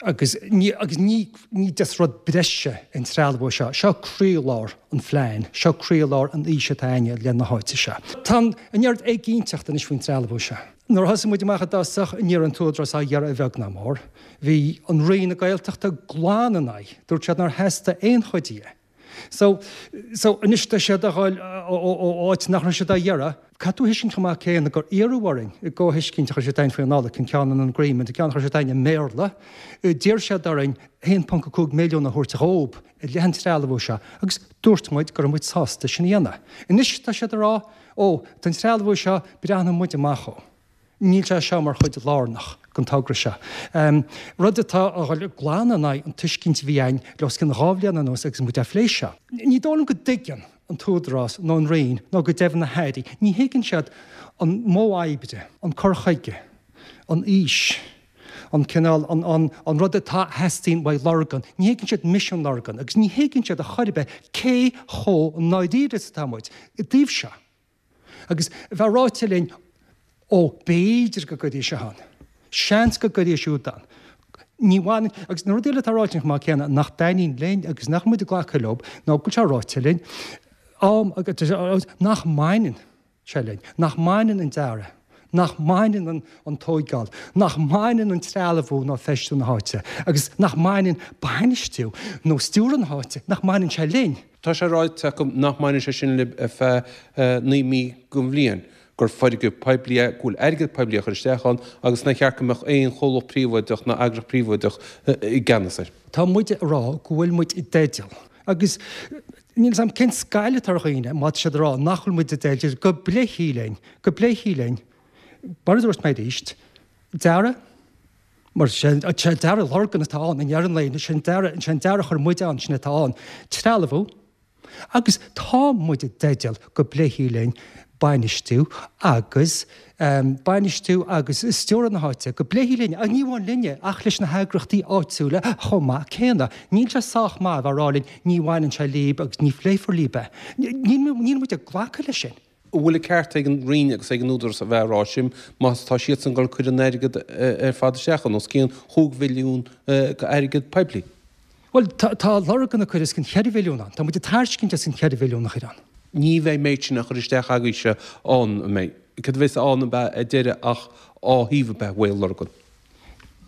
Agus ní agus ní ní just rud breise an trealmhú seo, seo croílár an phlean, seo croílár an fhís atá againne le na háite seo. Tá an oiread éiginnteacht anois faoin trealmhú seo. Nuair a thosaigh muid amach i dtosach, ní raibh an tÚdarás á iarraidh a bheag ná mór. Bhí an Roinn na Gaeltachta glan ina aghaidh, dúirt siad nár theastaigh aon chuid dhe. So, so anois tá siad a dhul ó áit nach raibh siad á iarraidh. Caithfidh tú a thuiscint chomh maith céanna gur iarradh orainn i gcomhthuiscint a chuir siad againn faoi Nollaig, an ceann an agreement, an ceann a chuir siad againn i mBéarla, d'iarr siad orainn a haon ponc a cúig milliún a thabhairt dhób i leith an trealmhú seo agus dúirt muid go raibh muid sásta sin a dhéanamh. Anois tá siad ag rá, ó, don trealmhú seo, breathnóidh muid amach ó. Níl sé seo mar chuid lárnach den togra seo. Rud atá a dhul glan in aghaidh an tuiscint a bhí againn le os cionn dhá bhliain anuas agus muid á phlé seo. Ní dóigh liom go dtuigeann an tÚdarás nó an Roinn nó go deimhin na hAirí, ní thuigeann siad an modh oibre, an cur chuige, an fhís, an cineál, an, an, an rud atá a theastaíonn uaidh Lurgan. Ní thuigeann siad misean Lurgan agus ní thuigeann siad a chor ar bith cé chomh ndáiríre is atá muid i dtaobh seo. Agus bheith ráite linn, ó, b'fhéidir go gcuirfidh seo ann, seans go gcuirfidh siúd ann. Ní bhaineann, agus na rudaí eile atá ráite chomh maith céanna nach dtaitníonn linn agus nach muid ag glacadh leo, ná go bhfuil sé ráite linn, am, nach mbaineann sé linn, nach mbaineann an dearadh, nach mbaineann an tóigeáil, nach mbaineann an trealmhú nó feistiú na háite, agus nach mbaineann bainistiú nó stiúradh na háite, nach mbaineann sé linn. Tá sé ráite acu nach mbaineann sé sin libh ar feadh naoi mí den bhliain, gur foirgneamh poiblí é, go bhfuil airgead poiblí á chur isteach ann agus nár cheart go mbeadh aon chomhlacht príobháideach ná eagraíocht phríobháideach i gceannas air. Tá muid ag rá go bhfuil muid i dteideal agus níl 'fhios a'm cén scail atá ar dhaoine má tá siad ag rá nach bhfuil muid i dteideal go bpléifí linn, go bpléifí linn, mar a dúirt mé arís, dearadh, mar sé dearadh Lurgan atá ann i ndeireadh an lae, sé an dearadh, sé an dearadh a chuir muid ann, sin atá ann, trealmhú, Agus tá muid i dteideal go bpléifí linn bainistiú agus bainistiú agus stiúradh na háite, go bpléifí linn, ní amháin linne ach leis na heagraíochtaí áitiúla chomh maith céanna. Níl sé sách maith a bheith ag rá linn ní bhaineann sé líb agus ní phléifear líb é. Níl muid ag glacadh leis sin. An bhfuil an ceart ag an Roinn agus ag an Údarás a bheith ag rá sin má tá siadsan ag dul cur an airgead ar fad isteach ann, os cionn chúig mhilliún airgead poiblí? Bhuel, tá Lurgan ag cur os cionn cheithre mhilliún ann. Tá muid ag tairscint os cionn cheithre mhilliún a chur ann. Ní bheidh méid sin á chur isteach agaibhse ann, an mbeidh? Cad a bheas ann ab ea ar deireadh ach dhá shuíomh ab ea uaidh Lurgan?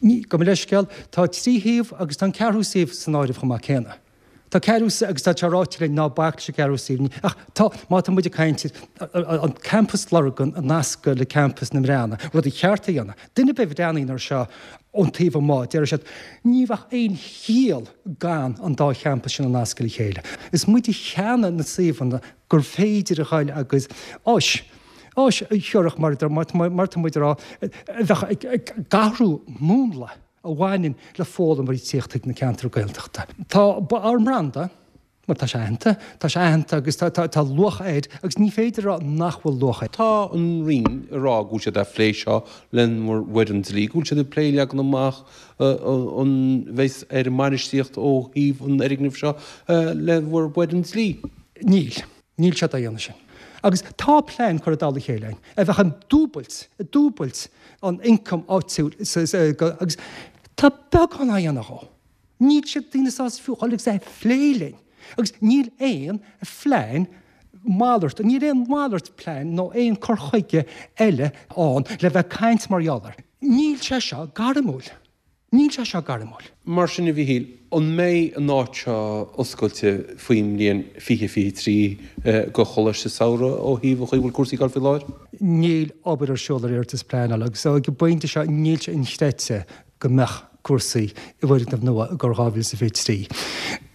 Ní, gabh mo leithscéal, tá trí shuíomh agus tá an ceathrú suíomh san áireamh chomh maith céanna. Tá ceathrú agus tá sé ráite linn ná bac leis an gceathrú suíomh. Ach tá, má tá muid ag caint ar an campas Lurgan a nascadh le campas na mBreanna, rud a cheart a dhéanamh. Duine ar bith a bhreathnaíonn air seo ón taobh amuigh, déarfaidh siad, ní bheadh aon chiall gan an dá champas sin a nascadh le chéile. Is muid a cheannaigh na suíomhanna gur féidir a ghoil agus áis, áis a thiúrfadh mar mar tá muid a rá, a bheadh ag athrú múnla. a bhaineann le foghlaimeoirí tíocht chuig na ceantair Gaeltachta. Tá ár mbranda, mar tá sé aitheanta, tá sé aitheanta agus tá tá luach air agus ní féidir a rá nach bhfuil luach air. Tá an Roinn ag rá go bhfuil siad ag plé seo lenár bhfoireann dlí, go bhfuil siad ag plé leagan amach an bheas ar an mbainistíocht ó thaobh an fhoirgnimh seo le bhur bhfoireann dlí. Níl. Níl siad á dhéanamh sin. Agus tá plean curtha i dtoll a chéile againn a bheadh ag dúbailt, ag dúbailt an ioncam áitiúil agus tá beagán á dhéanamh dhó. Níl siad daoine sásta fiú dhul agus é a phlé linn. Agus níl aon phlean malairt, níl aon mhalairt plean nó aon cur chuige eile ann le bheith ag caint mar gheall air. Níl sé seo gairmiúil. Níl sé seo gairmiúil. Mar sin, a Mhichíl, an mbeidh an áit seo oscailte faoin mbliain fiche fiche trí go Choláiste Samhraidh ó thaobh an chaoi a bhfuil cúrsaí ag dul faoi láthair? Níl obair ar siúl ar iarratas pleanála agus ag an bpointe seo níl sé inchreidte go mbeadh cúrsaí i bhfoirgneamh nua i gcomhair dhá mhíle is a fiche trí.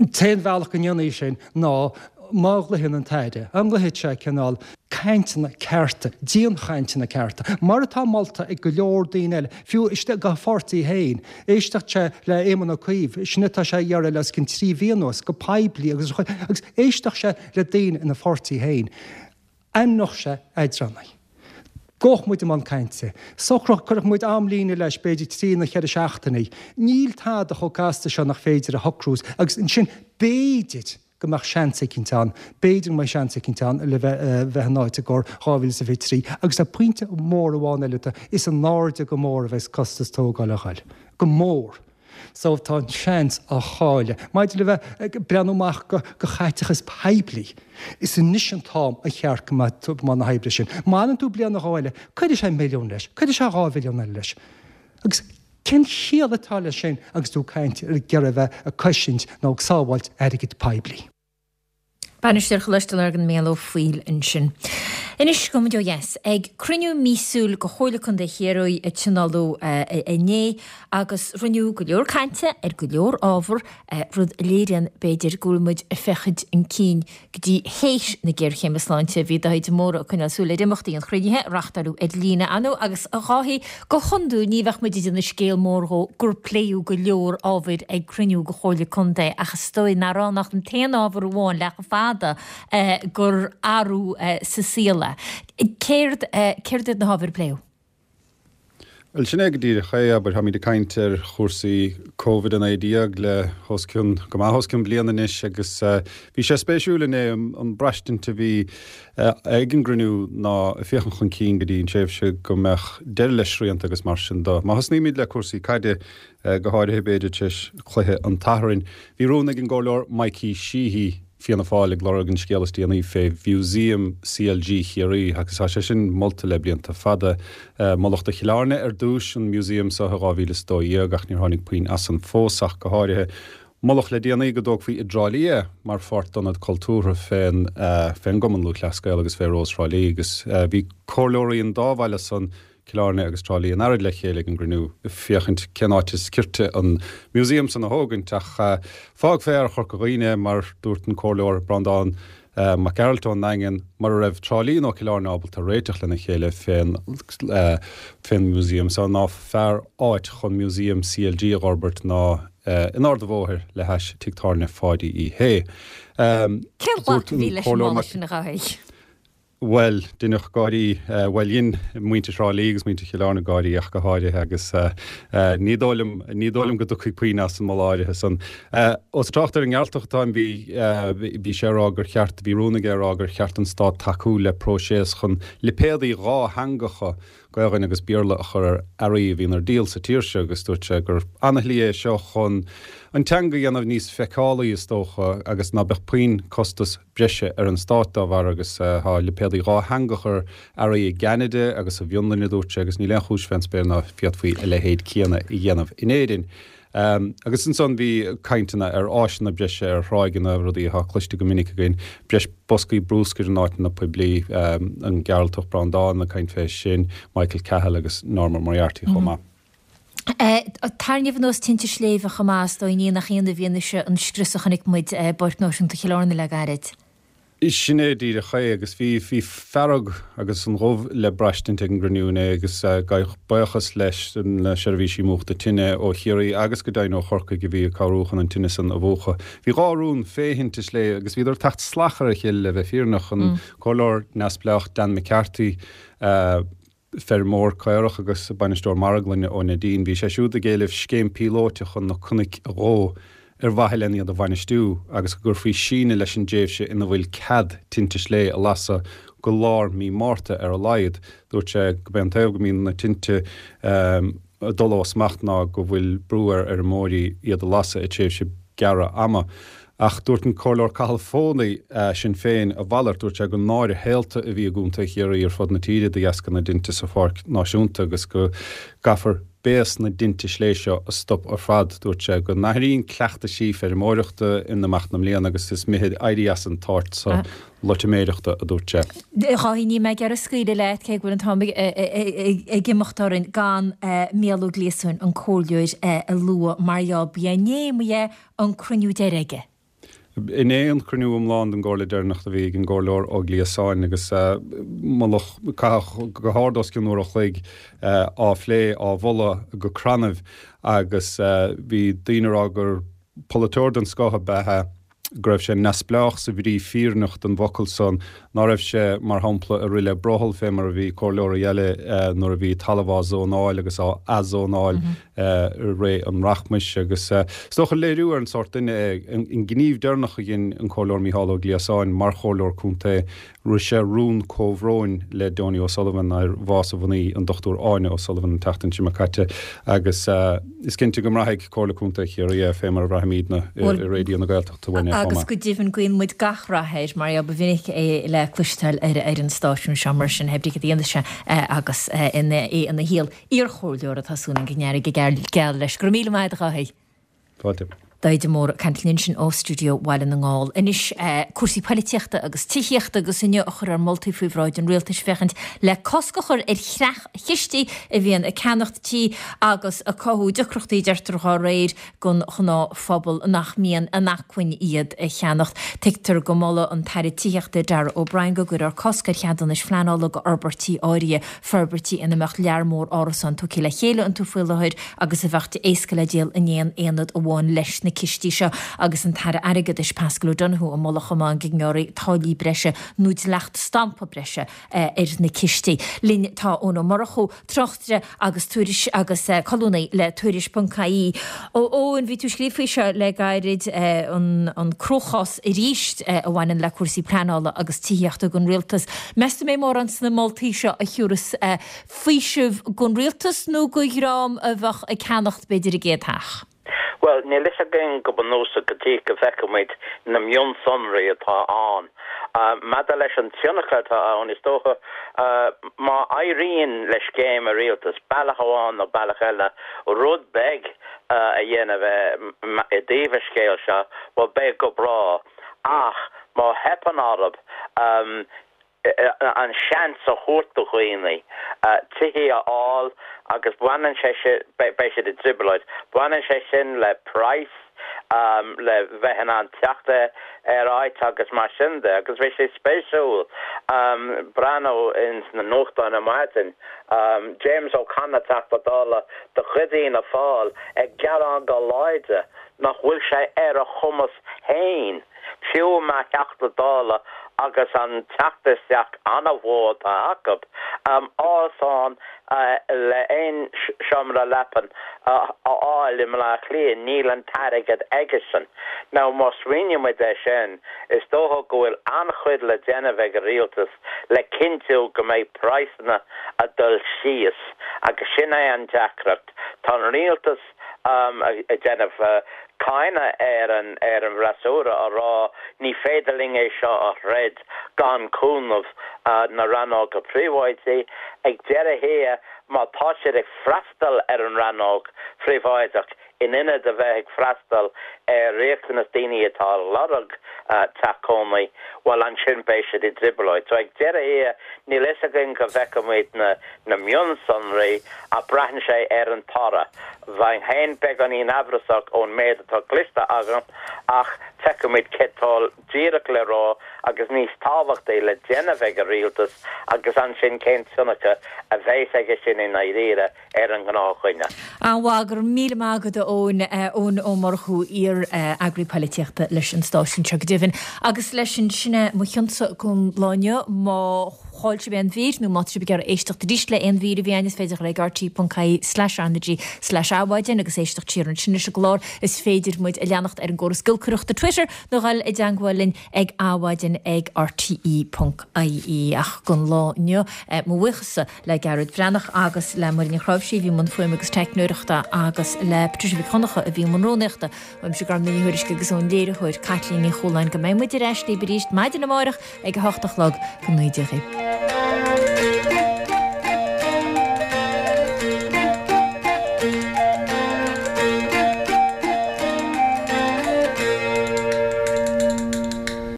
An t-aon bhealach go ndéanfaí sin ná má ghlaodhann an tAire, an nglaofaidh sé cineál cainteanna cearta, dianchainteanna cearta, mar atá molta ag go leor daoine eile, fiú istigh dá pháirtí féin. Éisteacht sé le Éamon Ó Cuív, sin atá sé a iarraidh le os cionn trí mhí anuas, go poiblí agus agus éisteacht sé le daoine ina pháirtí féin. Ainmneodh sé eadránaí. Gabhadh muid i mbun cainte. Socródh, cuirfeadh muid amlíne leis, b'fhéidir trí nó ceithre seachtainí. Níl tada chomh casta seo nach féidir a shocrú agus ansin b'fhéidir, go mbeadh seans eicínt ann, b'fhéidir go mbeidh seans eicínt ann le bheith bheith in áit i gcomhair dhá mhíle is a fiche trí. Agus tá pointe mór amháin eile, tá, is in airde go mór a bheas costas tógála a ghoil. Go mór. So tá an seans á chailleadh. Maidir le bheith ag breathnú amach go go chaiteachas poiblí, is anois an t-am a cheart go mbeadh tú i mbun na hoibre sin. Má fhanann tú bliain nó dhó eile, cuirfidh sé milliún leis, cuirfidh sé dhá mhilliún eile leis. Agus cén chiall atá leis sin agus tú ag caint ar ag iarraidh a bheith ag cosaint nó ag sábháilt airgead poiblí? Bainisteoir Choláiste Lurgan Mícheál Ó Foighil ansin. Anois gabhfaidh muid ó dheas ag cruinniú míosúil de Chomhairle Contae Chiarraí a tionóladh inné agus rinneadh go leor cainte ar go leor ábhar, rud a léiríonn b'fhéidir go bhfuil muid ag féachaint chun cinn go dtí théis na géarchéime sláinte. Bhí Dáithí de Mórdha ag coinneáil súil ar imeachtaí an chruinnithe, a reáchtáladh ar líne ar ndóigh, agus a Dháithí, go hiondúil ní bheadh muid ag déanamh scéal mór dhó gur pléadh go leor ábhair ag cruinniú de Chomhairle Contae ach is dóigh nár ann ach an t-aon ábhar amháin le fada gur athrú sa saol é. Céard, céard iad na hábhair a pléadh? Bhuel, sin é go díreach é, abair, táimid ag caint ar chúrsaí Covid a naoi déag le os cionn, go maith os cionn bliain anois agus bhí sé spéisiúil inné an braistint a bhí ag an gcruinniú ná ag féachaint chun cinn go dtí an tréimhse go mbeadh deireadh le srianta agus mar sin de. Má thosnaímid le cúrsaí caide, go háirithe b'fhéidir tar éis chluiche an tSathairn, bhí rún ag an gComhairleoir Mikey Sheehy, Fianna Fáil ag lorg an scéal is déanaí fé Mhúsaem C L G Chiarraí agus tá sé sin molta le blianta fada. Moladh do Chill Airne ar dtús an Museum seo i dhá mhíle is dó dhéag ach níor tháinig puinn as san fós ach go háirithe. Moladh le déanaí go dtógfaí i dTrá Lí é mar pháirt d'ionad cultúrtha fén fén gCumann Lúthchleas Gael agus fé Rós Thrá Lí agus bhí comhairleoirí an dá bhaile san Cill Airne agus Trá Lí in earraid le chéile ag an gcruinniú ag féachaint cén áit is cirte an museum san a thógaint ach fág fear Chorca Dhuibhne mar dúirt an Comhairleoir Breandán Mac Gearailt ón nDaingean mura raibh Trá Lí nó Cill Airne ábalta réiteach lena chéile fén fén museum so ná fearr áit chun museum C L G a dh'fhorbairt ná in Ard a' Bhóthair le hais Tigh Tábhairne Pháidí Uí Shé. Cén ghlac Dúirt a bhí an leis an Comhairleoir moladh Mac sin a Dháithí? Bhuel, deineadh gáirí, bhuel dhein muintir Thrá Lí agus muintir Chill Airne gáirí ach go háirithe agus ní dóigh liom, ní dóigh liom go dtiocfaidh puinn as an moladh áirithe san. Ós ag trácht ar an nGearaltach atáim, bhí, bhí sé ag rá gur cheart, bhí rún aige ag rá gur cheart don Stát tacú le próiseas chun lipéadaí dhátheangacha, Gaelainn agus Béarla, a chur ar earraí a bhíonn ar díol sa tír seo agus dúirt sé gur ana-shlí é seo chun an teanga a dhéanamh níos feiceálaí is dócha agus ná beadh puinn costas breise ar an stát dá bharr agus tá lipéadaí dhátheangach ar earraí i gCeanada agus sa bhFionlainn a dúirt sé agus níl aon chúis fén spéir ná féadfaí a leithéid céanna a dhéanamh in Éirinn. Agus ansan bhí cainteanna ar áiseanna breise ar thráigheanna, rudaí atá cloiste go minic againn, breis boscaí brúscair in áiteanna poiblí, an Gearaltach Breandán ag caint fé sin, Michael Cahill agus Norma Moriarty chomh maith. Tarraingt anuas tinte sléibhe chomh maith, is dóigh, ní nach ionadh i bhfianaise an scrios a chonaic muid i bPáirc Náisiúnta Chill Airne le gairid. Sin é díreach é agus bhí bhí fearg agus an ghoimh le braistint ag an gcruinniú inné agus gabhadh buíochas leis na seirbhísí múchta tine ó Chiarraí agus go deimhin ó Chorcaigh a bhí ag cabhrú chun an tine san a mhúchadh. Bhí dhá rún fé thinte sléibhe agus bhíodar ag teacht salach ar a chéile le bheith fírinneach, an Comhairleoir neamhspleách Dan McCarthy, feirmeoir caorach agus bainisteoir marglainne ó Neidín. Bhí sé siúd ag éileamh scéim píolóite chun na cnoic a dhó ar mhaithe len iad a bhainistiú agus go gcuirfí síneadh leis an dtréimhse ina bhfuil cead tinte sléibhe a lasadh go lár mí Márta ar a laghad. Dúirt sé go b'é an taobh go mbíonn na tinte ag dul ó smacht ná go bhfuil brú ar fheirmeoirí iad a lasadh i dtréimhse gearra ama. Ach dúirt an Comhairleoir Cathal Foley, Sinn Féin, a mhalairt. Dúirt sé gur náire shaolta a bhí i gContae Chiarraí ar fud na tíre de dheasca na dtinte sa Pháirc Náisiúnta agus go gcaithfear béas na dtinte sléibhe seo a stop ar fad. Dúirt sé go n-athraíonn cleachtaisí feirmeoireachta in imeacht na mbliana agus is mithid éirí as an tsárt seo loitiméireachta, a dúirt sé. A Dháithí, níl mé ag iarraidh scaoileadh leat, cé go bhfuil an t-am ag imeacht orainn, gan Mícheál Ó Gliasáin, an comhairleoir, a lua mar gheall, ba é inné, ba ea, an cruinniú deiridh aige. Inné an cruinniú iomlán den gComhairle deireanach a bhí ag an gComhairleoir Ó Gliasáin agus moladh, caitheadh go hard os cionn uair a chloig á phlé, á mholadh go crannaibh agus bhí daoine ag rá gur polaiteoir den scoth ab ea é, go raibh sé neamhspleách sa bhrí fírinneach den bhfocal san, ná raibh sé, mar shampla, ag rith le brothall fé mar a bhí comhairleoirí eile nuair a bhí talamh á zónáil agus á athzónáil i ré an rachmais. Agus is dócha léiriú ar an sórt duine é an gníomh deireanach a dhein an Comhairleoir Mícheál Ó Gliasáin mar Chomhairleoir Contae, Rith sé rún comhbhróin le Donie O'Sullivan ar bhás a mhnaoi, an Dochtúir Áine O'Sullivan, an tseachtain seo imigh caite agus is cinnte go mbraithfidh Comhairle Contae Chiarraí é, fé mar a bhraithimidne i Raidió na Gaeltachta uainn é chomh Agus maith. go deimhin guíonn muid gach rath air mar ba mhinic é le cloisteáil ar an stáisiún seo mar sin, hé brí cad a dhéanfas sé agus é ina shaol iarchomhairleora tá súil againn go n-éireoidh go geal leis. Go raibh míle maith agat a Dháithí. Fáilte. Dáithí de Mórdha ag caint linn ansin ó stiúideo Bhaile na nGall. Anois, cúrsaí poilitíochta agus tithíochta agus inniu a chuirfear moltaí faoi bhráid an rialtais féachaint le cosc a chur ar chreach-chistí a bhíonn ag ceannacht tí agus ag cothú deacrachtaí, deirtear dá réir, don ghnáthphobal nach mbíonn in acmhainn iad a cheannacht. Tuigtear go molfaidh an tAire Tithíochta Darragh O'Brien go gcuirfear cosc ar cheadúnais phleanála d'fhorbairtí áirithe, forbairtí ina mbeadh lear mór árasán tugtha le chéile iontu faoi láthair agus a bheadh éasca le díol in aon aonad amháin leis na cistí seo agus an tAire Airgeadais Paschal O'Donoghue ag moladh chomh maith go ngearrfaí táillí breise nó dleacht stampa breise ar na cistí. Linn tá Eoin Ó Murchú, tráchtaire agus tuairis agus colúnaí le Tuairisc ponc ie. A Eoin, bhí tú ag scríobh faoi seo le gairid, an cruachás arís a bhaineann le cúrsaí pleanála agus tithíochta don rialtas. Meas tú an mbeidh mórán sna moltaí seo a thiúrfas faoiseamh don rialtas nó do dhream a bheadh ag ceannacht b'fhéidir a gcéad theach? Bhuel, níl fhios againn go bunúsach go dtí go bhfeicfimid na mionsonraí atá ann. Maidir leis an tionchar atá ann, is dócha, má éiríonn le scéim an rialtais, bealach amháin nó bealach eile, rud beag a dhéanamh i dtaobh an scéil seo, bhuel, beidh go breá. Ach má theipeann orthu, an seans a thabhairt do dhaoine tithe a fháil agus baineann sé sin, beidh siad i dtrioblóid, baineann sé sin le praghas, le bheith in ann teacht ar áit agus mar sin de agus bhí sé spéisiúil breathnú ins na nuachtáin ar maidin, James O'Connor, Teachta Dála de chuid Fhianna Fáil ag gearán go láidir nach bhfuil sé ar a chumas féin, fiú mar Theachta Dála agus an teacht isteach an-mhór atá acu, árasán le aon seomra leapan a fháil i mBleá Cliath, níl an t-airgead aigesean. Now má smaoinímid air sin, is dócha go bhfuil an-chuid le déanamh ag an rialtas le cinntiú go mbeidh praghsanna ag dul síos agus sin é an deacracht. Tá an rialtas ag déanamh cáineadh ar an ar an bhfreasúra á rá ní féidir linn é seo a throid gan cúnamh na rannóga príobháidí. Ag deireadh thiar, má tá siad ag freastal ar an rannóg phríobháideach in ionad a bheith ag freastal ar riachtanas daoine atá ag lorg teach cónaí, bhuel ansin beidh siad i dtrioblóid. So ag deireadh thiar, níl fhios againn go bhfeicfimid na na mionsonraí ach braitheann sé ar an toradh. Bheinn féin beagáinín amhrasach ón méid atá cloiste agam ach feicfimid céard atá díreach le rá agus níos tábhachtaí le déanamh ag an rialtas agus ansin cén tionchar a bheas aige sin i ndáiríre ar an ngnáthdhuine. An-mhaith, go raibh míle maith agat a Eoin, Eoin Ó Murchú, iar-eagraí poilitíochta leis an stáisiún seo go deimhin. Agus leis sin, sin é mo chionsa don lá inniu. Má chaill sibh aon mhír nó má tá sibh ag iarraidh éisteacht arís le aon mhír a bhí againn is féidir dul ag rte.ie slash RnaG slash Adhmhaidin agus éisteacht siar ansin leis an gclár. Is féidir muid a leanacht ar an gcóras giolcaireachta Twitter nó dhul i dteangmháil linn ag adhmhaidin ag rte ponc ie. Ach don lá inniu, mo bhuíochas le Gearóid Breathnach agus le Muireann Ní Chnáimhsí a bhí i mbun fuaime agus teicneoireachta agus le Patricia Mhic Dhonncha a bhí i mbun rúnaíochta. Uaimse Gormfhlaith Ní Thuairisg agus ón léiritheoir Caitlín Ní Chualáin go mbeidh muid ar ais libh arís maidin amárach ag a hocht a chlog go naoi.